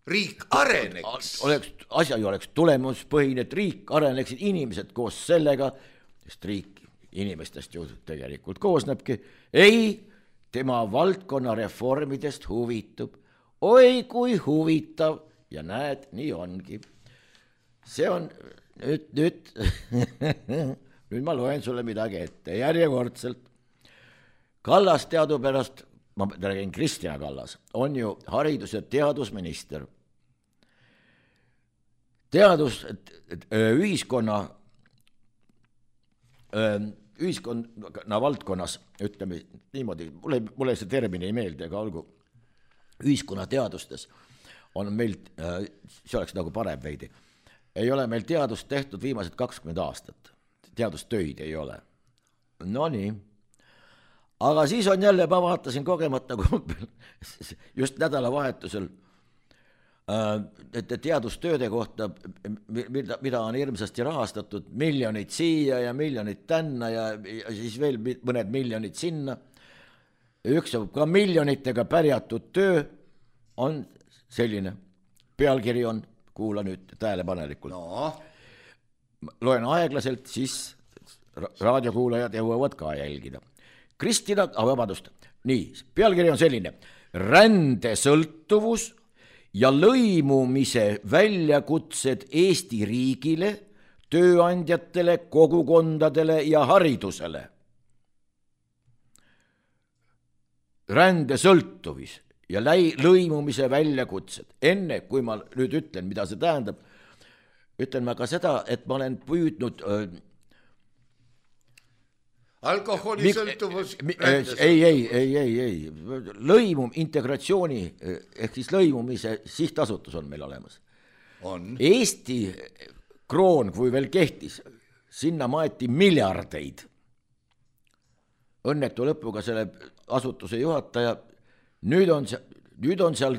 Riik areneks. Asja ju oleks tulemuspõhine, et riik areneksid inimesed koos sellega, sest riik inimestest ju tegelikult koosnebki. Ei, tema valdkonna reformidest huvitub. Oi, kui huvitav. Ja näed, nii ongi. See on nüüd nüüd ma loen sulle midagi ette. Järjekordselt. Kallas teadupärast, ma räägin Kristjan Kallas, on ju haridus- ja teadusminister. Ühiskonna valdkonnas, ütleme niimoodi, mulle see termin ei meeldi, aga olgu, ühiskonna teadustes on meil, see oleks nagu parem veidi, ei ole meil teadust tehtud viimased 20 aastat. Teadustöid ei ole. No nii. Aga siis on jälle, ma vaatasin kogemata just nädalavahetusel teadustööde kohta, mida on hirmsasti rahastatud, miljonid siia ja miljonid tänna ja siis veel mõned miljonid sinna. Üks ka miljonitega pärjatud töö on selline. Pealkiri on, kuula nüüd tähelepanelikult. No. Loen aeglaselt, siis raadiokuulajad jõuavad ka jälgida. Kristina, vabandust, nii, pealkiri on selline. Rändesõltuvus ja lõimumise väljakutsed Eesti riigile, tööandjatele, kogukondadele ja haridusele. Rändesõltuvis ja lõimumise väljakutsed. Enne, kui ma nüüd ütlen, mida see tähendab, ütlen ma ka seda, et ma olen püüdnud alkoholisõltuvus ei. Integratsiooni ehk siis lõimumise sihtasutus on meil olemas. On. Eesti kroon, kui veel kehtis, sinna maeti miljardeid. Õnnetu lõpuga selle asutuse juhataja. Nüüd on seal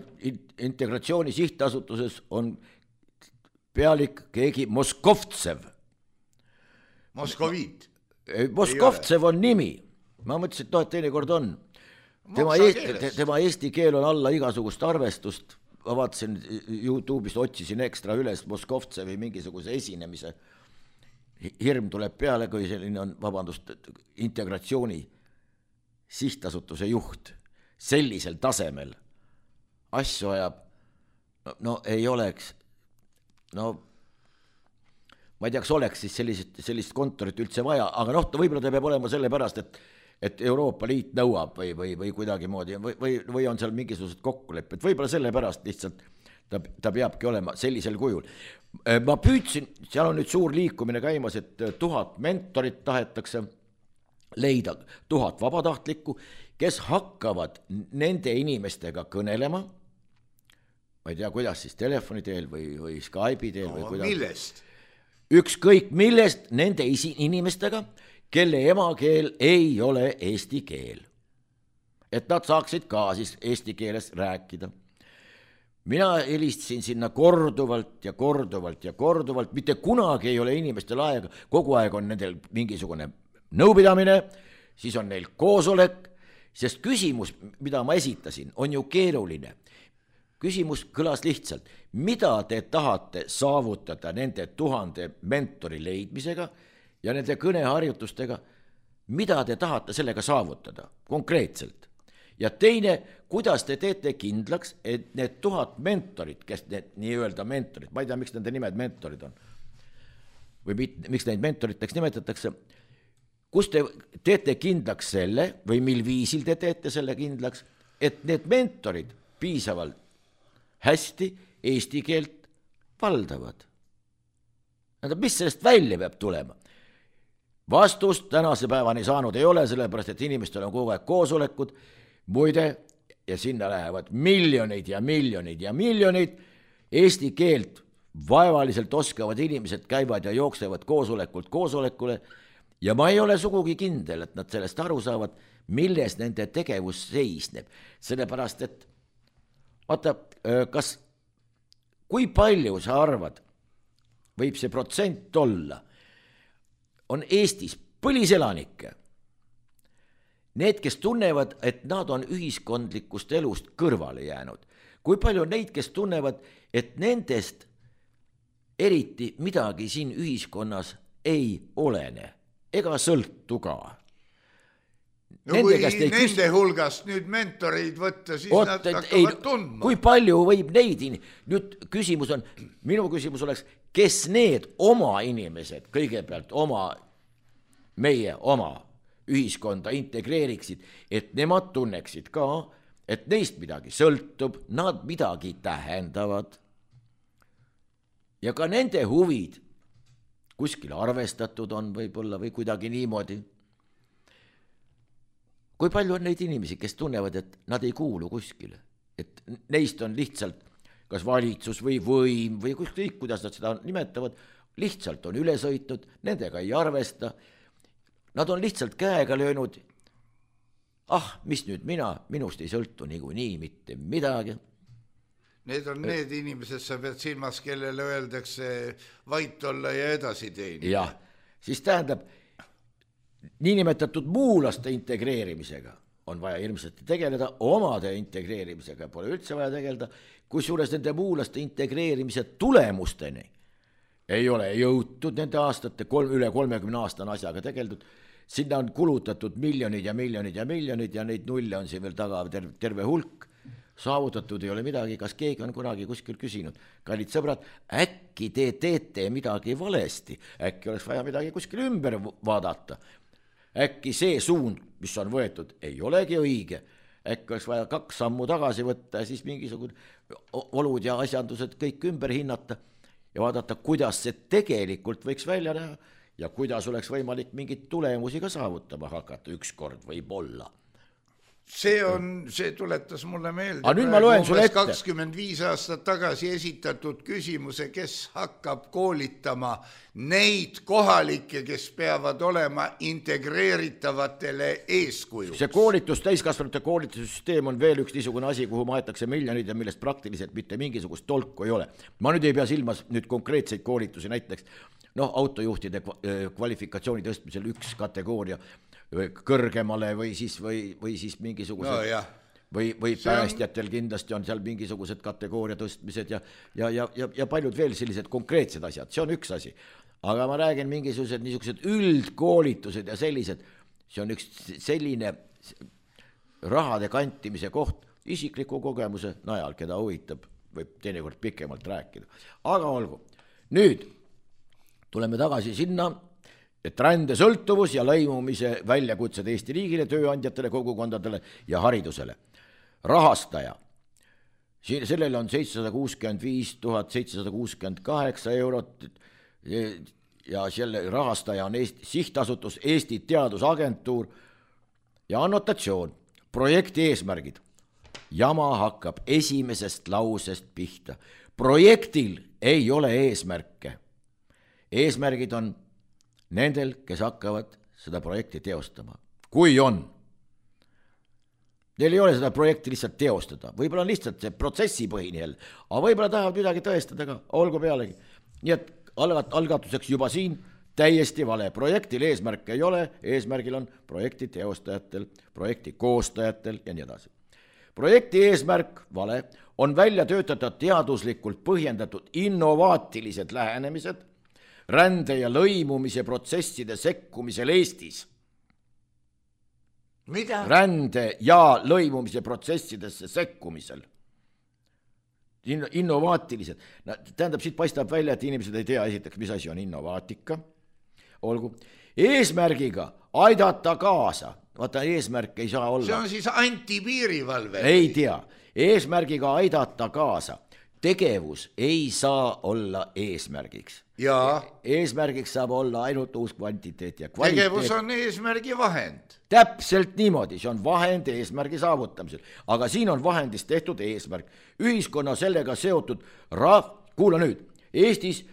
integratsiooni sihtasutuses on pealik keegi Moskovtsev. Moskoviit. Moskovtsev on nimi. Ma mõtlesin, et teinekord on. Tema eesti keel on alla igasugust arvestust. Ma vaatasin YouTube'ist, otsisin ekstra üles Moskovtsevi mingisuguse esinemise. Hirm tuleb peale, kui selline on, integratsiooni sihtasutuse juht. Sellisel tasemel asju ajab, no ei oleks, no ma ei tea, kas oleks siis sellist kontorit üldse vaja, aga võib-olla ta peab olema selle pärast, et Euroopa Liit nõuab või kuidagi moodi või on seal mingisugused kokkulepped, võib-olla selle pärast lihtsalt ta peabki olema sellisel kujul. Ma püüdsin, seal on nüüd suur liikumine käimas, et 1000 mentorit tahetakse leida, 1000 vabatahtlikku, kes hakkavad nende inimestega kõnelema, ma ei tea, kuidas siis telefoni teel või Skype'i teel või kuidas. Millest? Ükskõik millest nende inimestega, kelle emakeel ei ole eesti keel. Et nad saaksid ka siis eesti keeles rääkida. Mina helistasin sinna korduvalt, mitte kunagi ei ole inimestel aega, kogu aeg on nendel mingisugune nõupidamine, siis on neil koosolek, sest küsimus, mida ma esitasin, on ju keeruline. Küsimus kõlas lihtsalt, mida te tahate saavutada nende 1000 mentori leidmisega ja nende kõneharjutustega, mida te tahate sellega saavutada konkreetselt. Ja teine, kuidas te teete kindlaks, et need 1000 mentorid, kes need nii-öelda mentorid, ma ei tea, miks nende nimed mentorid on, või miks neid mentoriteks nimetatakse, kus te teete kindlaks selle või mil viisil te teete selle kindlaks, et need mentorid piisavalt hästi eesti keelt valdavad? Mis sellest välja peab tulema? Vastust tänase päevani saanud ei ole, sellepärast et inimestel on kogu aeg koosolekud, muide, ja sinna lähevad miljoneid ja miljoneid ja miljoneid, eesti keelt vaevaliselt oskavad inimesed käivad ja jooksevad koosolekult koosolekule ja ma ei ole sugugi kindel, et nad sellest aru saavad, milles nende tegevus seisneb. Sellepärast, et vaata, kui palju sa arvad, võib see protsent olla, on Eestis põliselanikke, need, kes tunnevad, et nad on ühiskondlikust elust kõrvale jäänud. Kui palju on neid, kes tunnevad, et nendest eriti midagi siin ühiskonnas ei olene ega sõltu ka. No kui nende hulgast nüüd mentoreid võtta, siis nad hakkavad tundma. Kui palju võib neid, nüüd küsimus on, minu küsimus oleks, kes need oma inimesed kõigepealt meie oma ühiskonda integreeriksid, et nemad tunneksid ka, et neist midagi sõltub, nad midagi tähendavad ja ka nende huvid kuskil arvestatud on võib-olla või kuidagi niimoodi. Kui palju on neid inimesi, kes tunnevad, et nad ei kuulu kuskile, et neist on lihtsalt kas valitsus või võim või kõik, kuidas nad seda nimetavad, lihtsalt on üle sõitnud, nendega ei arvesta, nad on lihtsalt käega löönud, mis nüüd minust ei sõltu niikuinii mitte midagi. Need on need inimesed, sa pead silmas, kellele öeldakse vait olla ja edasi teenida. Jah, siis tähendab, niinimetatud muulaste integreerimisega on vaja ilmselt tegeleda, omade integreerimisega pole üldse vaja tegeleda, kusjuures nende muulaste integreerimise tulemusteni ei ole jõutud nende aastate, üle 30 aastane asjaga tegeldud, sinna on kulutatud miljonid ja miljonid ja miljonid ja neid nulle on siin veel taga terve hulk, saavutatud ei ole midagi, kas keegi on kunagi kuskil küsinud, kallid sõbrad, äkki te teete midagi valesti, äkki oleks vaja midagi kuskil ümber vaadata, äkki see suund, mis on võetud, ei olegi õige, äkki oleks vaja 2 sammu tagasi võtta ja siis mingisugune olud ja asjandused kõik ümber hinnata ja vaadata, kuidas see tegelikult võiks välja näha ja kuidas oleks võimalik mingit tulemusi ka saavutama hakata ükskord võib-olla. See tuletas mulle meelde. Nüüd ma loen sulle ette. 25 aastat tagasi esitatud küsimuse, kes hakkab koolitama neid kohalikke, kes peavad olema integreeritavatele eeskujuks. See koolitus, täiskasvanute koolitussüsteem on veel üks niisugune asi, kuhu maetakse miljonid ja millest praktiliselt mitte mingisugust tolku ei ole. Ma nüüd ei pea silmas nüüd konkreetseid koolitusi, näiteks autojuhtide kvalifikatsiooni tõstmisel üks kategooria kõrgemale või siis mingisugused või päästjatel kindlasti on seal mingisugused kategooria tõstmised ja paljud veel sellised konkreetsed asjad, see on üks asi. Aga ma räägin mingisugused niisugused üldkoolitused ja sellised, see on üks selline rahade kantimise koht isikliku kogemuse najal, keda huvitab, võib teinekord pikemalt rääkida. Aga olgu, nüüd tuleme tagasi sinna, et rändesõltuvus ja lõimumise väljakutsed Eesti riigile, tööandjatele, kogukondadele ja haridusele. Rahastaja. Sellele on 765 768 eurot ja selle rahastaja on sihtasutus Eesti Teadusagentuur ja annotatsioon. Projekti eesmärgid. Jama hakkab esimesest lausest pihta. Projektil ei ole eesmärke. Eesmärgid on nendel, kes hakkavad seda projekti teostama. Kui on, neil ei ole seda projekti lihtsalt teostada. Võib-olla on lihtsalt see protsessipõhine jälle, aga võib-olla tahavad midagi tõestada ka, olgu pealegi. Nii et algatuseks juba siin täiesti vale. Projektil eesmärke ei ole, eesmärgil on projekti teostajatel, projekti koostajatel ja nii edasi. Projekti eesmärk, vale, on välja töötada teaduslikult põhjendatud innovaatilised lähenemised rände ja lõimumise protsesside sekkumisel Eestis. Mida? Rände ja lõimumise protsessidesse sekkumisel. Innovaatilised. Tähendab, siit paistab välja, et inimesed ei tea esiteks, mis asi on innovaatika. Olgu. eesmärgiga aidata kaasa. Vaata, eesmärk ei saa olla. See on siis antipiirivalve. Ei tea. Eesmärgiga aidata kaasa. Tegevus ei saa olla eesmärgiks. Ja Eesmärgiks saab olla ainult uus kvantiteet ja kvaliteet. tegevus on eesmärgi vahend. Täpselt niimoodi, see on vahend eesmärgi saavutamisel. Aga siin on vahendist tehtud eesmärk. Ühiskonna sellega seotud kuula nüüd, Eestis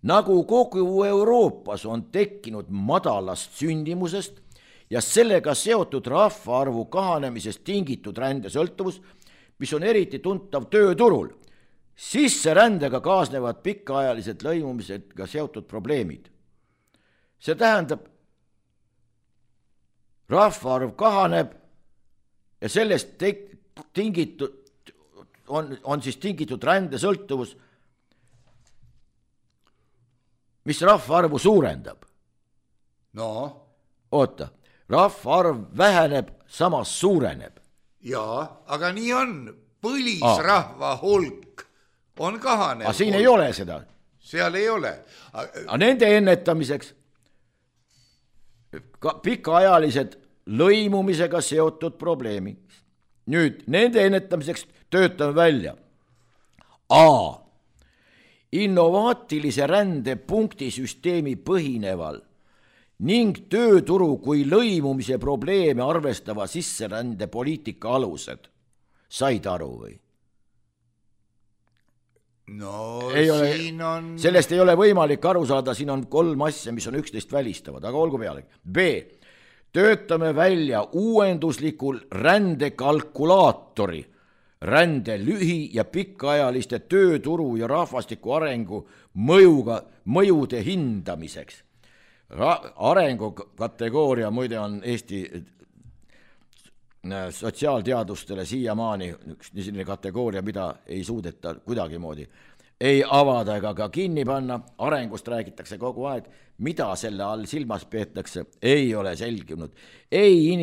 nagu kogu Euroopas on tekkinud madalast sündimusest ja sellega seotud rahvaarvu kahanemisest tingitud rändesõltuvus, mis on eriti tuntav tööturul. Sisserändega kaasnevad pikaajalised lõimumisega seotud probleemid. See tähendab, rahvaarv kahaneb ja sellest tingitud, on siis tingitud rändesõltuvus, mis rahvaarvu suurendab. No. Oota, rahvaarv väheneb, samas suureneb. Jaa, aga nii on. Põlisrahva hulk on kahanev. Aga siin ei ole seda. Seal ei ole. Aga nende ennetamiseks pikaajalised lõimumisega seotud probleemid. Nüüd, nende ennetamiseks töötame välja A. Innovaatilise rände punktisüsteemi põhineval ning tööturu kui lõimumise probleeme arvestava sisserände poliitika alused. Said aru või? No ei siin ole, on... Sellest ei ole võimalik aru saada, siin on 3 asja, mis on üksteist välistavad, aga olgu peale. B. Töötame välja uuenduslikul rändekalkulaatori rände lühi- ja pikaajaliste tööturu ja rahvastiku arengu mõjude hindamiseks. Arengukategooria muide on Eesti sotsiaalteadustele siiamaani üks selline kategooria, mida ei suudeta kuidagimoodi ei avada ega ka kinni panna. Arengust räägitakse kogu aeg, mida selle all silmas peetakse, ei ole selginud. Ei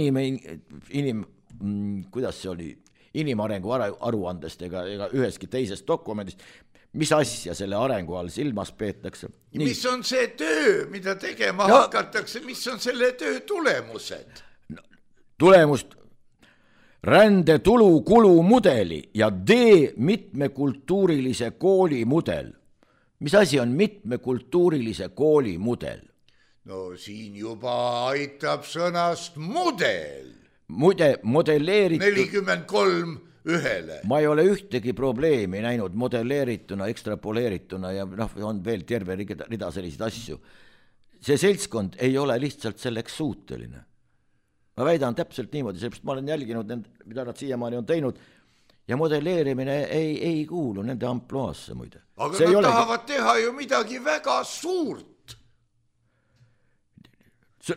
kuidas see oli, inimarengu aruandest ega üheski teisest dokumendist, mis asja selle arengu all silmas peetakse. Nii. Mis on see töö, mida tegema hakatakse, mis on selle töö tulemused? Tulemust rände tulu-kulumudeli ja D. mitmekultuurilise kooli mudel. Mis asi on mitmekultuurilise kooli mudel? No siin juba aitab sõnast mudel. Modelleeritud 43 ühele. Ma ei ole ühtegi probleemi näinud modelleerituna, ekstrapoleerituna ja on veel terve rida selliseid asju. See seltskond ei ole lihtsalt selleks suuteline. Ma väidan täpselt niimoodi, sellepärast ma olen jälginud, mida nad siiamaani on teinud ja modelleerimine ei kuulu nende ampluaasse muide. Aga see nad tahavad teha ju midagi väga suurt.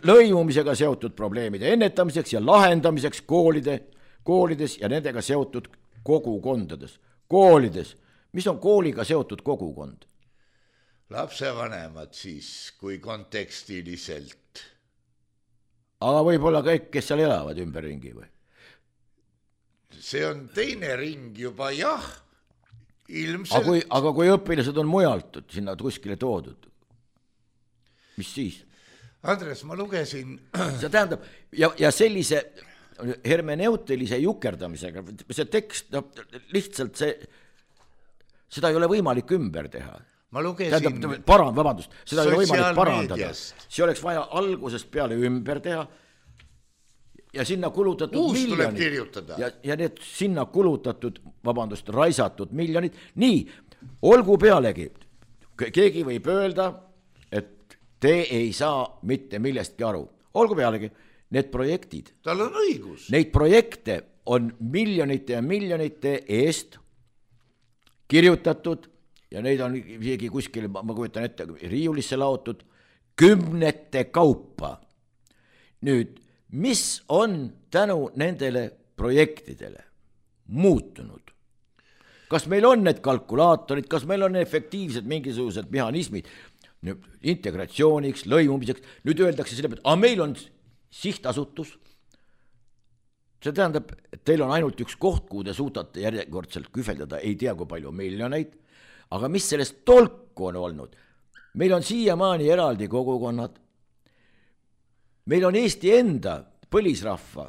Lõimumisega seotud probleemide ennetamiseks ja lahendamiseks koolides ja nendega seotud kogukondades. Koolides. Mis on kooliga seotud kogukond? Lapsevanemad siis, kui kontekstiliselt. Aga võib-olla kõik, kes seal elavad ümberringi või? See on teine ring juba, jah. Ilmselt. Aga kui õpilased on mujalt sinna kuskile toodud, mis siis? Andres, ma lugesin... See tähendab, ja sellise hermeneutilise jukerdamisega, see tekst, lihtsalt seda ei ole võimalik ümber teha. Ma lugesin... Vabandust, seda ei ole võimalik parandada. See oleks vaja algusest peale ümber teha ja sinna kulutatud uus miljonid. Ja need sinna kulutatud, raisatud miljonid. Nii, olgu pealegi, keegi võib öelda, et te ei saa mitte millestki aru. Olgu pealegi, need projektid. Tal on õigus. Neid projekte on miljonite ja miljonite eest kirjutatud ja neid on isegi kuskil, ma kujutan ette, riiulisse laotud kümnete kaupa. Nüüd, mis on tänu nendele projektidele muutunud? Kas meil on need kalkulaatorid, kas meil on efektiivsed mingisugused mehhanismid integratsiooniks, lõimumiseks? Nüüd öeldakse selle pealt, meil on sihtasutus. See tähendab, et teil on ainult üks koht, kuhu te suudate järjekordselt kühveldada, ei tea kui palju miljoneid, aga mis sellest tolku on olnud? Meil on siiamaani eraldi kogukonnad, meil on Eesti enda põlisrahva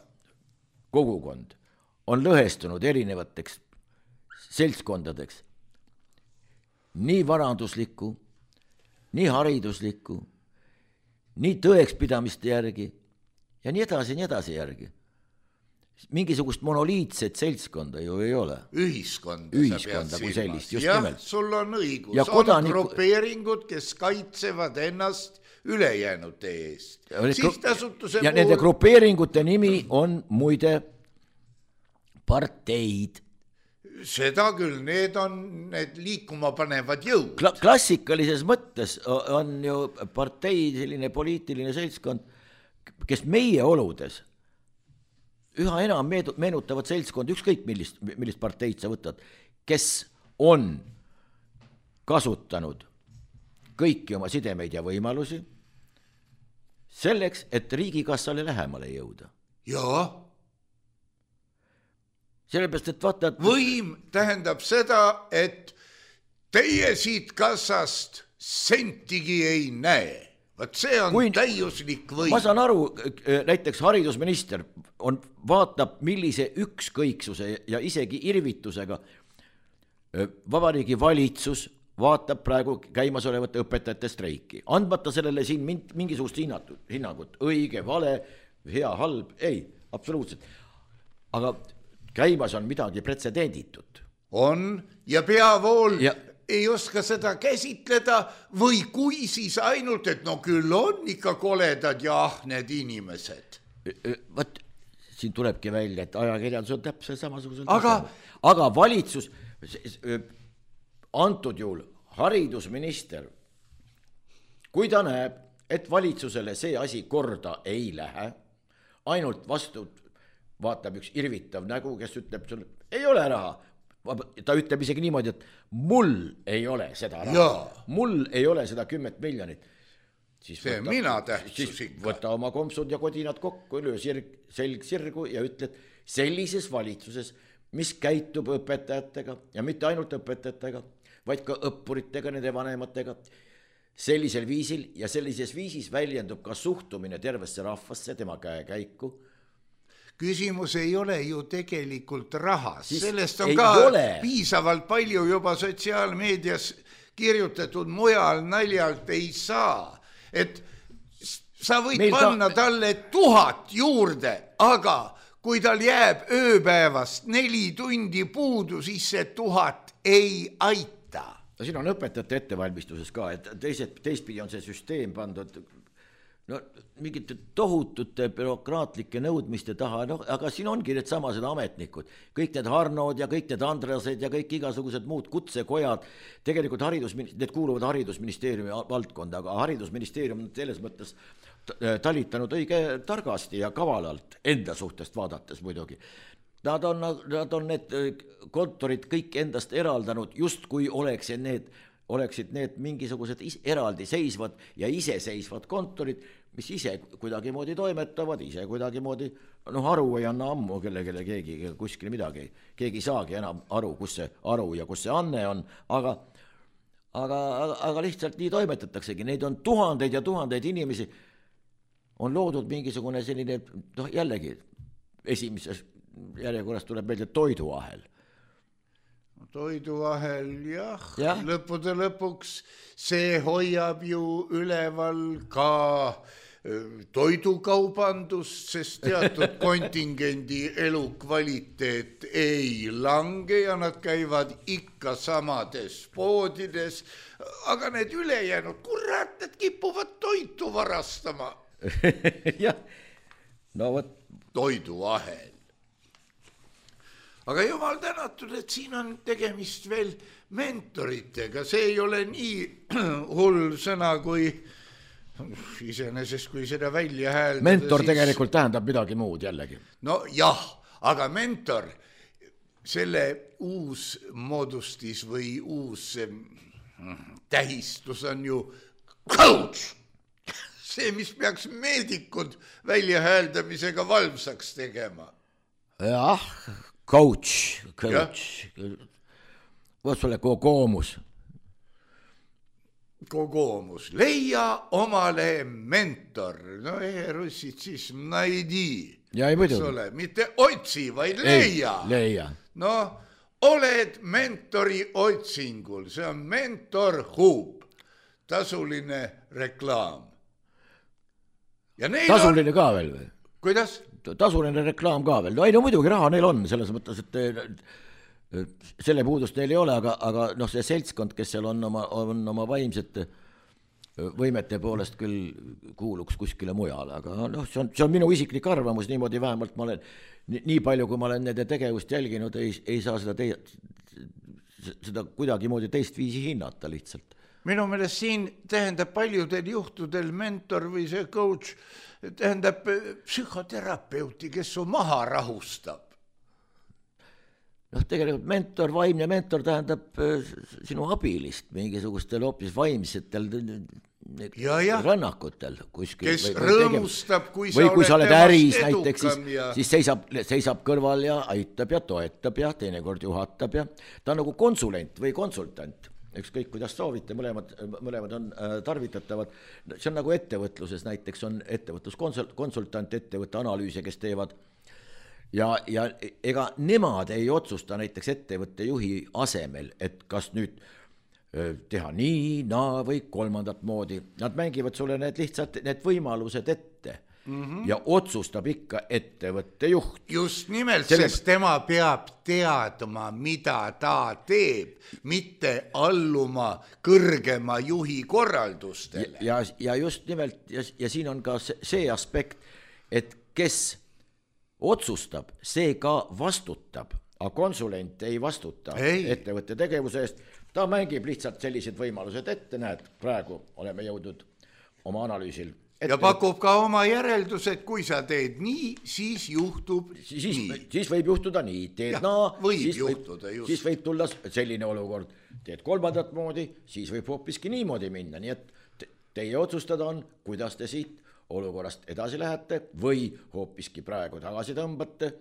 kogukond on lõhestunud erinevateks seltskondadeks, nii varanduslikku, nii hariduslikku, nii tõekspidamiste järgi ja nii edasi järgi. Mingisugust monoliitset seltskonda ju ei ole. Ühiskonda kui sellist, just nimelt. Sul on õigus, on grupeeringud, kes kaitsevad ennast ülejäänute eest. Ja nende grupeeringute nimi on muide parteid. Seda küll, need on need liikuma panevad jõud. Klassikalises mõttes on ju partei selline poliitiline seltskond, kes meie oludes üha enam meenutavad seltskond, ükskõik millist parteid sa võtad, kes on kasutanud kõiki oma sidemeid ja võimalusi selleks, et riigikassale lähemale jõuda. Jaa. Sellepärast, et vaata... Võim tähendab seda, et teie siit kassast sentigi ei näe. Vaat see on täiuslik võim. Ma saan aru, näiteks haridusminister vaatab, millise ükskõiksuse ja isegi irvitusega Vabariigi valitsus vaatab praegu käimasolevat õpetajate streiki. Andmata sellele siin mingisugust hinnangut, õige, vale, hea, halb, ei, absoluutselt. Aga käimas on midagi pretsedenditut. On ja peavool ei oska seda käsitleda või kui siis ainult, et no küll on ikka koledad ja ahned inimesed. Võt, siin tulebki välja, et ajakirjandus on täpselt samasugusel aga valitsus, antud juhul haridusminister, kui ta näeb, et valitsusele see asi korda ei lähe, ainult vastu vaatab üks irvitav nägu, kes ütleb sulle, ei ole raha. Ta ütleb isegi niimoodi, et mul ei ole seda raha, mul ei ole seda 10 miljonit. Siis võta oma kompsud ja kodinad kokku, löö selg sirgu ja ütled sellises valitsuses, mis käitub õpetajatega ja mitte ainult õpetajatega, vaid ka õppuritega, nende vanematega, sellisel viisil ja sellises viisis väljendub ka suhtumine tervesse rahvasse, tema käekäiku. Küsimus ei ole ju tegelikult rahas, sellest on ka piisavalt palju juba sotsiaalmeedias kirjutatud, mujal naljalt ei saa, et sa võid panna talle 1000 juurde, aga kui tal jääb ööpäevast 4 tundi puudu, siis see 1000 ei aita. No siin on õpetajate ettevalmistuses ka, et teistpidi on see süsteem pandud mingite tohutute bürokraatlike nõudmiste taha, aga siin ongi need samased ametnikud, kõik need Harnod ja kõik need Andrased ja kõik igasugused muud kutsekojad, tegelikult need kuuluvad haridusministeeriumi valdkonda, aga haridusministeerium on selles mõttes talitanud õige targasti ja kavalalt enda suhtest vaadates muidugi. Nad on need kontorid kõik endast eraldanud, just kui oleksid need mingisugused eraldi seisvad ja iseseisvad kontorid, mis ise kuidagimoodi toimetavad, ise kuidagimoodi, aru ei anna ammu kellele keegi kuskil midagi, keegi saagi enam aru, kus see aru ja kus see anne on, aga lihtsalt nii toimetataksegi, neid on tuhandeid ja tuhandeid inimesi, on loodud mingisugune selline, jällegi esimeses järjekorras tuleb meelde toiduahel. Toiduahel, jah. Lõppude lõpuks see hoiab ju üleval ka toidukaubandust, sest teatud kontingendi elukvaliteet ei lange ja nad käivad ikka samades poodides, aga need ülejäänud, kurat, need kipuvad toitu varastama. Jah, no võt. Toiduahel. Aga jumal tänatud, et siin on tegemist veel mentoritega, see ei ole nii hull sõna kui iseenesest, kui seda välja hääldada. Mentor tegelikult tähendab midagi muud jällegi. No jah, aga mentor, selle uus moodustis või uus tähistus on ju coach. See, mis peaks meedikud välja hääldamisega valmsaks tegema. Jah, coach. Võt sulle koomus. kogumus, leia omale mentor, no russid siis najdi, mitte otsi, vaid leia. No oled mentori otsingul, see on Mentor Hub, tasuline reklaam. Tasuline ka veel või? Kuidas? Tasuline reklaam ka veel, no ei no muidugi raha neil on, selles mõttes, et selle puudust neil ei ole, aga noh, see seltskond, kes seal on oma vaimsete võimete poolest küll kuuluks kuskile mujale, aga noh, see on minu isiklik arvamus, niimoodi vähemalt ma olen, nii palju kui ma olen nende tegevust jälginud, ei saa seda kuidagimoodi teist viisi hinnata lihtsalt. Minu meelest siin tähendab paljudel juhtudel mentor või see coach tähendab psühhoterapeuti, kes su maha rahustab. Noh, tegelikult vaimne mentor tähendab sinu abilist mingisugustel hoopis vaimsetel rannakutel kuskil. Kes rõõmustab, kui sa oled äris näiteks, siis seisab kõrval ja aitab ja toetab ja teinekord juhatab ja ta on nagu konsulent või konsultant. Ükskõik, kuidas soovite, mõlemad on tarvitatavad. See on nagu ettevõtluses, näiteks on ettevõtluskonsultant, ettevõtte analüüse, kes teevad. Ja ega nemad ei otsusta näiteks ettevõtte juhi asemel, et kas nüüd teha nii, naa või kolmandat moodi. Nad mängivad sulle need võimalused ette ja otsustab ikka ettevõtte juht. Just nimelt, sest tema peab teadma, mida ta teeb, mitte alluma kõrgema juhi korraldustele. Ja just nimelt, ja siin on ka see aspekt, et kes otsustab, see ka vastutab, aga konsulent ei vastuta ettevõtte tegevuse eest. Ta mängib lihtsalt sellised võimalused ette, näed, praegu oleme jõudnud oma analüüsil. Ja pakub ka oma järeldused, kui sa teed nii, siis juhtub nii. Siis võib juhtuda nii, teed naa, siis võib tulla selline olukord. Teed kolmandat moodi, siis võib hoopiski niimoodi minna, nii et teie otsustada on, kuidas te siit olukorrast edasi lähete või hoopiski praegu tagasi tõmbate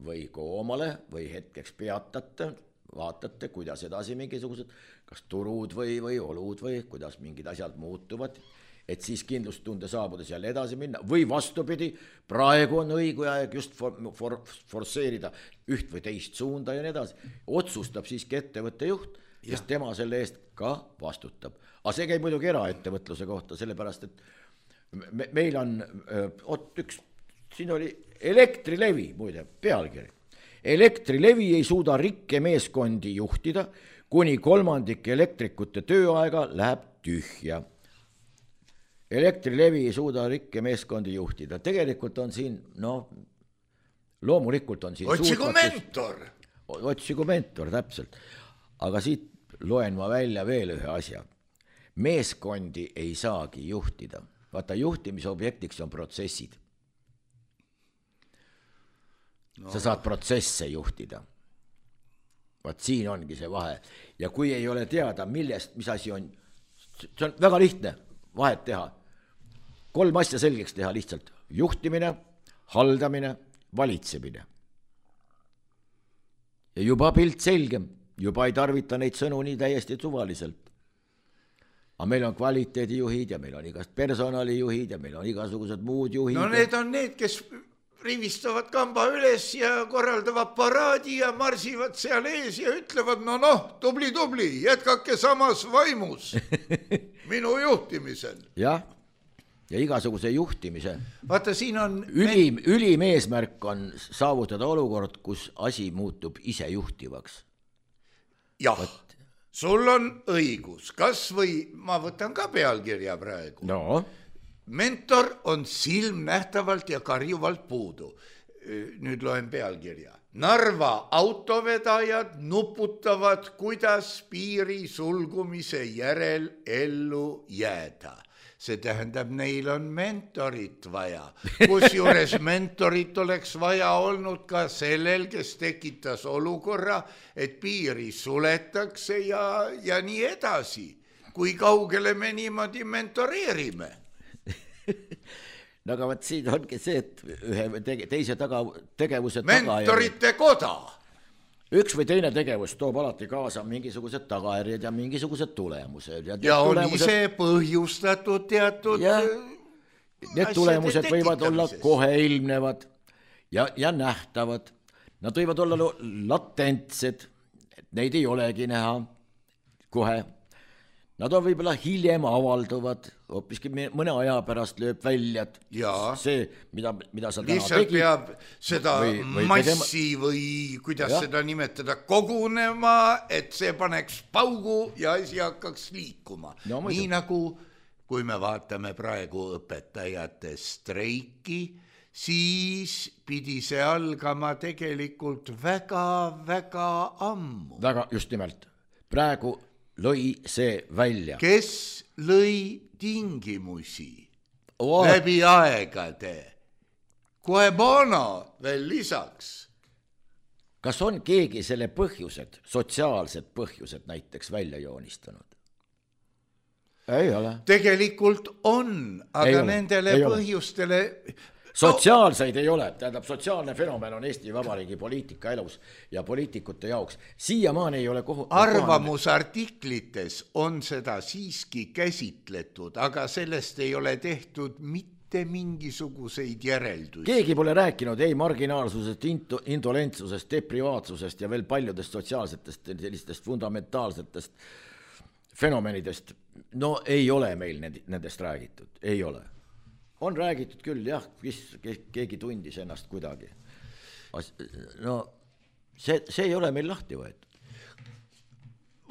või koomale või hetkeks peatate, vaatate, kuidas edasi mingisugused, kas turud või olud või kuidas mingid asjad muutuvad, et siis kindlustunde saabudes jälle edasi minna või vastupidi, praegu on õige aeg just forsseerida üht või teist suunda ja nii edasi. Otsustab siiski ettevõtte juht, sest tema selle eest ka vastutab. Aga see käib muidugi eraettevõtluse kohta, sellepärast, et meil on siin oli Elektrilevi, muide, pealkiri. Elektrilevi ei suuda rikkemeeskondi juhtida, kuni 3% elektrikute tööaega läheb tühja. Elektrilevi ei suuda rikkemeeskondi juhtida. Tegelikult on siin, loomulikult on siin Otsigu mentor, täpselt. Aga siit loen ma välja veel ühe asja. Meeskondi ei saagi juhtida. Vaata, juhtimisobjektiks on protsessid. Sa saad protsesse juhtida. Vaat siin ongi see vahe. Ja kui ei ole teada, mis asi on, see on väga lihtne vahet teha. 3 asja selgeks teha lihtsalt. Juhtimine, haldamine, valitsemine. Ja juba pilt selgem. Juba ei tarvita neid sõnu nii täiesti suvaliselt. Aga meil on kvaliteedijuhid ja meil on igast personalijuhid ja meil on igasugused muud juhid. No need on need, kes rivistavad kamba üles ja korraldavad paraadi ja marsivad seal ees ja ütlevad, tubli, jätkake samas vaimus minu juhtimisel. Ja igasuguse juhtimise. Vaata, siin on... Ülim eesmärk on saavutada olukord, kus asi muutub ise juhtivaks. Jah, sul on õigus. Kas või, ma võtan ka pealkirja praegu. Mentor on silmnähtavalt ja karjuvalt puudu. Nüüd loen pealkirja. Narva autovedajad nuputavad, kuidas piiri sulgumise järel ellu jääda. See tähendab, neil on mentorit vaja. Kusjuures mentorit oleks vaja olnud ka sellel, kes tekitas olukorra, et piiri suletakse ja nii edasi. Kui kaugele me niimoodi mentoreerime? Aga võt siin ongi see, et ühe teise tegevuse mentorite koda. üks või teine tegevus toob alati kaasa mingisugused tagajärjed ja mingisugused tulemused. Ja on ise põhjustatud teatud... Need tulemused võivad olla kohe ilmnevad ja nähtavad. Nad võivad olla latentsed, et neid ei olegi näha kohe. Nad on võib-olla hiljem avalduvad, hoopiski mõne aja pärast lööb välja, et see, mida sa täna lihtsalt tegid. Peab seda massi või kuidas seda nimetada kogunema, et see paneks paugu ja asi hakkaks liikuma. No, nii nagu, kui me vaatame praegu õpetajate streiki, siis pidi see algama tegelikult väga ammu. Väga, just nimelt. Praegu lõi see välja. Kes lõi tingimusi läbi aegade? Guebana veel lisaks. Kas on keegi selle põhjused, sotsiaalsed põhjused näiteks välja joonistanud? Ei ole. Tegelikult on, aga nendele põhjustele... Sotsiaalseid ei ole, tähendab sotsiaalne fenomen on Eesti Vabariigi poliitika elus ja poliitikute jaoks. Siiamaani ei ole arvamusartiklites on seda siiski käsitletud, aga sellest ei ole tehtud mitte mingisuguseid järeldusi. Keegi pole rääkinud ei marginaalsusest, indolentsusest, deprivaatsusest ja veel paljudest sotsiaalsetest sellistest fundamentaalsetest fenomenidest. No ei ole meil nendest räägitud, ei ole. On räägitud küll, jah, keegi tundis ennast kuidagi. No see ei ole meil lahti võetud.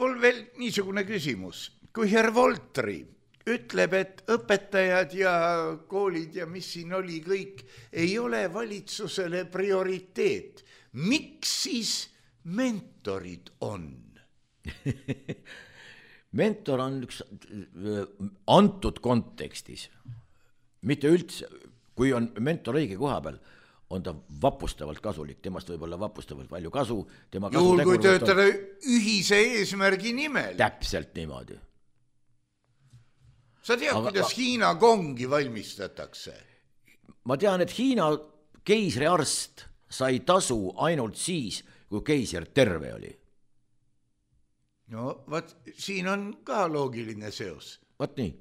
Mul veel niisugune küsimus. Kui Herr Voltri ütleb, et õpetajad ja koolid ja mis siin oli kõik, ei ole valitsusele prioriteet, miks siis mentorid on? Mentor on üks antud kontekstis. Mitte üldse, kui on mentor õige koha peal, on ta vapustavalt kasulik, temast võib olla vapustavalt palju kasu. Juhul kui töötada ühise eesmärgi nimel. Täpselt niimoodi. Sa tead, kuidas Hiina kongi valmistatakse? Ma tean, et Hiina keisriarst sai tasu ainult siis, kui keiser terve oli. No, siin on ka loogiline seos. Vaat nii.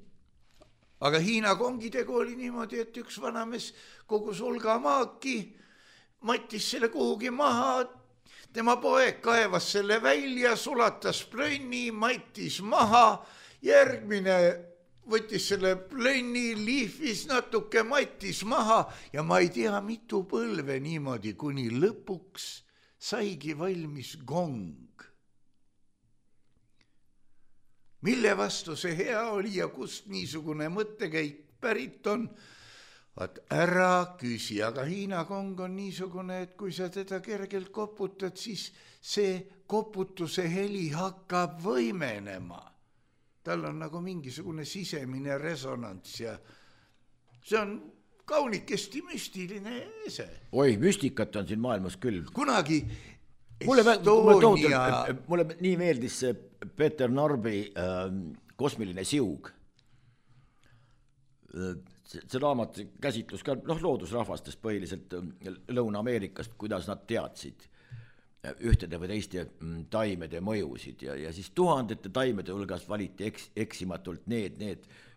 Aga Hiina kongidega oli niimoodi, et üks vanamees kogus hulga maaki, mattis selle kuhugi maha, tema poeg kaevas selle välja, sulatas plönni, mattis maha, järgmine võttis selle plönni, liifis natuke, mattis maha ja ma ei tea mitu põlve niimoodi, kuni lõpuks saigi valmis gong. Mille vastu see hea oli ja kust niisugune mõttekäik pärit on? Vaat ära küsi, aga Hiina kong on niisugune, et kui sa teda kergelt koputad, siis see koputuse heli hakkab võimenema. Tal on nagu mingisugune sisemine resonants ja see on kaunikesti müstiline ese. Oi, müstikat on siin maailmas küll. Kunagi Mulle nii meeldis see Peeter Narbi kosmiline siug. See raamat käsitlus ka loodusrahvastest põhiliselt Lõuna-Ameerikast, kuidas nad teadsid ühtede või teiste taimede mõjusid ja siis tuhandete taimede hulgas valiti eksimatult need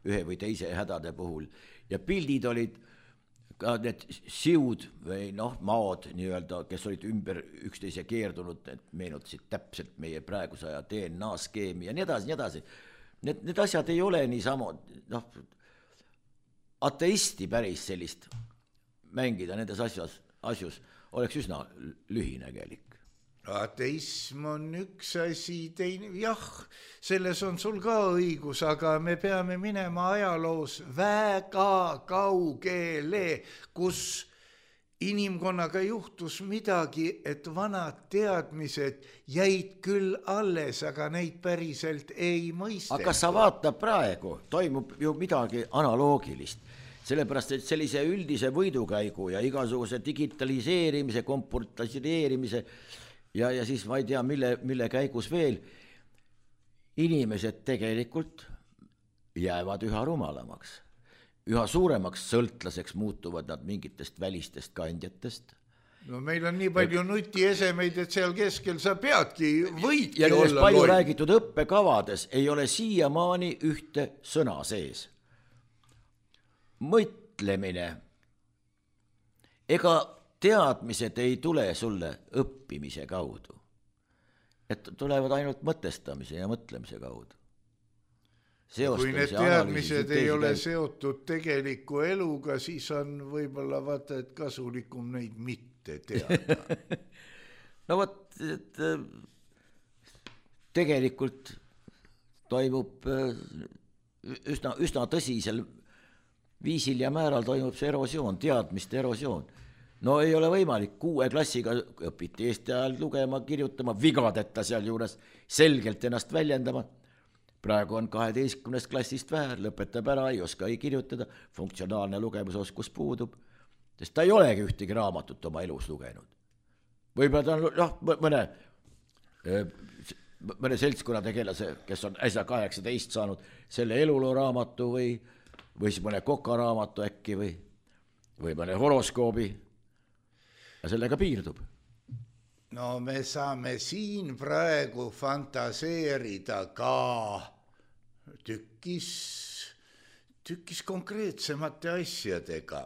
ühe või teise hädade puhul ja pildid olid ka need siud või maod nii-öelda, kes olid ümber üksteise keerdunud, need meenutasid täpselt meie praeguse aja DNA-skeemi ja nii edasi. Need asjad ei ole nii sama, ateisti päris sellist mängida nendes asjus oleks üsna lühinägelik. Ateism on üks asi, teine, jah, selles on sul ka õigus, aga me peame minema ajaloos väga kaugele, kus inimkonnaga juhtus midagi, et vanad teadmised jäid küll alles, aga neid päriselt ei mõisteta. Aga sa vaata praegu, toimub ju midagi analoogilist. Sellepärast, et sellise üldise võidukäigu ja igasuguse digitaliseerimise, komportasireerimise ja siis ma ei tea, mille käigus veel inimesed tegelikult jäävad üha rumalamaks. Üha suuremaks sõltlaseks muutuvad nad mingitest välistest kandjatest No meil on nii palju nutiesemeid, et seal keskel sa peadki, võidki ja olla palju loll. räägitud õppekavades ei ole siiamaani ühte sõna sees. Mõtlemine. Ega teadmised ei tule sulle õppimise kaudu. Et tulevad ainult mõtestamise ja mõtlemise kaudu. Kui need teadmised ei ole seotud tegeliku eluga, siis on võib-olla vaata, et kasulikum neid mitte teada. No vot, et tegelikult toimub üsna tõsisel viisil ja määral toimub see erosioon, teadmiste erosioon. No ei ole võimalik, 6 klassiga õpiti Eesti ajal lugema, kirjutama, vigadeta seal juures selgelt ennast väljendama. Praegu on 12 klassist vähe, lõpetab ära, ei oska ei kirjutada, funktsionaalne lugemusoskus puudub, sest ta ei olegi ühtegi raamatut oma elus lugenud. Võib-olla ta on mõne seltskonna tegelase, kes on äsja 18 saanud selle eluloo raamatu või siis mõne Koka raamatu äkki või mõne horoskoobi ja sellega piirdub. No me saame siin praegu fantaseerida ka tükkis konkreetsemate asjadega.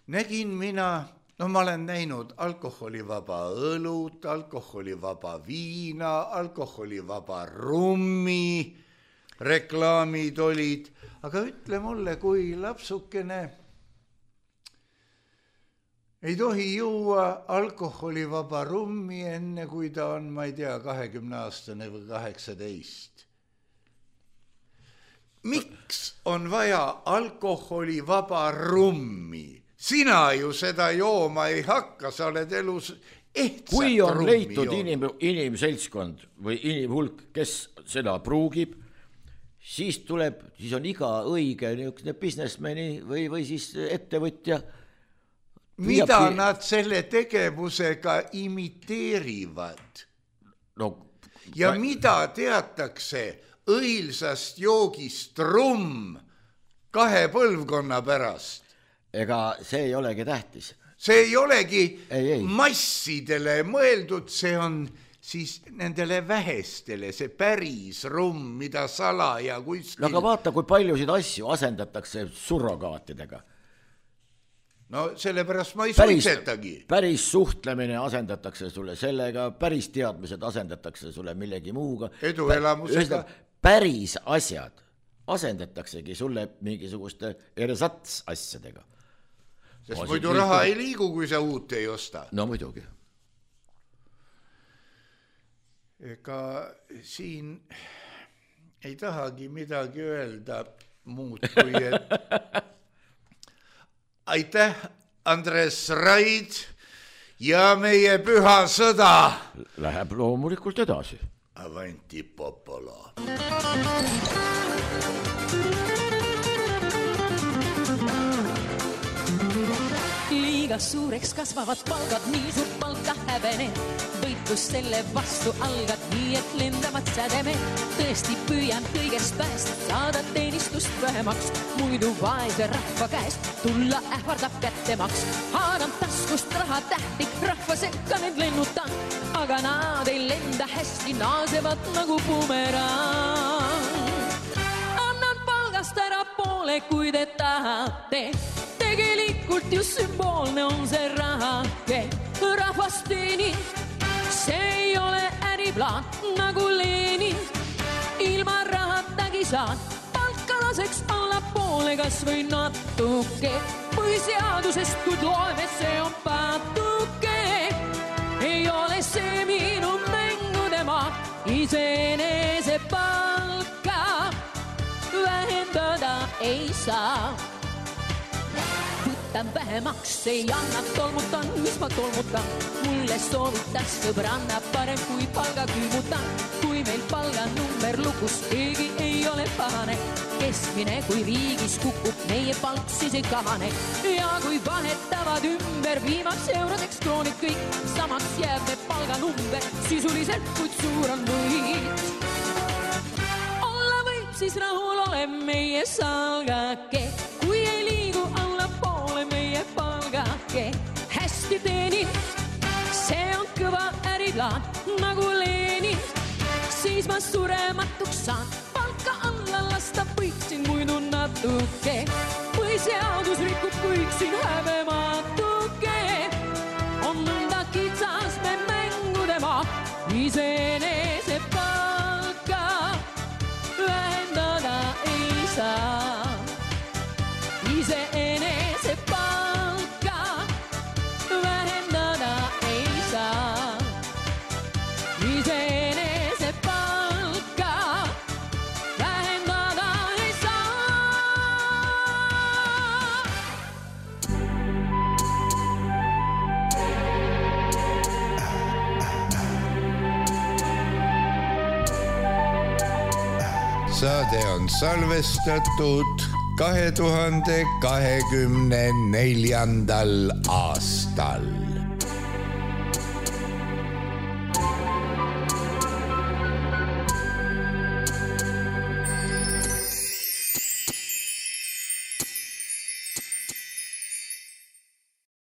Nägin mina, ma olen näinud alkoholivaba õlut, alkoholivaba viina, alkoholivaba rummi, reklaamid olid, aga ütle mulle, kui lapsukene ei tohi juua alkoholivaba rummi enne, kui ta on, ma ei tea, 20-aastane või 18. Miks on vaja alkoholivaba rummi? Sina ju seda jooma ei hakka, sa oled elus ehtsat kui on rummi leitud inimseltskond või inimhulk, kes seda pruugib, siis on iga õige businessmani või siis ettevõtja. Mida nad selle tegevusega imiteerivad? Ja mida teatakse õilsast joogist rumm 2 põlvkonna pärast? Ega see ei olegi tähtis. See ei olegi massidele mõeldud, see on siis nendele vähestele, see päris rumm, mida salaja kuskil... Aga vaata, kui paljusid asju asendatakse surrogaatidega. No sellepärast ma ei suitsetagi. Päris suhtlemine asendatakse sulle sellega, päris teadmised asendatakse sulle millegi muuga. Eduelamusega. Päris asjad asendataksegi sulle mingisuguste ersats asjadega. Sest muidu raha ei liigu, kui sa uut ei osta. No muidugi. Ega siin ei tahagi midagi öelda muud kui, et aitäh, Andres Raid ja meie püha sõda. Läheb loomulikult edasi. Avanti popolo. Liiga suureks kasvavad palgad, nii suurt palka hävene. Võitlus selle vastu algad, nii et lendavad sädeme. Tõesti püüan kõigest pääst, saada teenistust vähemaks. Muidu vaese rahva käest tulla ähvardab kättemaks. Haadan taskust raha tähti, rahva sekka need lennutan. Aga nad ei lenda hästi, naasevad nagu bumerang. Annan palgast ära poole, kui te tahate. Tegelikult just sümboolne on see rahake, rahvast teenin. See ei ole äriplaan nagu Lenin. Ilma rahatagi saan palka laseks alla poole, kas või natuke. Põhiseadusest kui loeme, see on patuke. Ei ole see minu mängude maa, iseenese palka vähendada ei saa. Võtan vähemaks, ei anna tolmutan, mis ma tolmutan. Mulle soovitas sõbranna parem kui palga külmutan. Kui meil palganumber lukus, keegi ei ole pahane. Keskmine kui riigis kukub, meie palk siis ei kahane. Ja kui vahetavad ümber viimaks eurodeks kroonid kõik, samaks jääb me palganumber sisuliselt, kuid suur on võit. Olla võib siis rahul ole meie salgake, kui ei liigu alla poole meie palgake. Hästi teenin, see on kõva äriplaan nagu Lenin, siis ma surematuks saan. Palka alla lasta võiksin muidu natuke, põhiseadus rikub, võiksin häbematuke. On nõnda kitsas me mängude maa, iseenese palka vähendada ei saa. Iseenese palka vähendada ei saa. Iseenese palka vähendada ei saa. Saade on salvestatud 2024. aastal.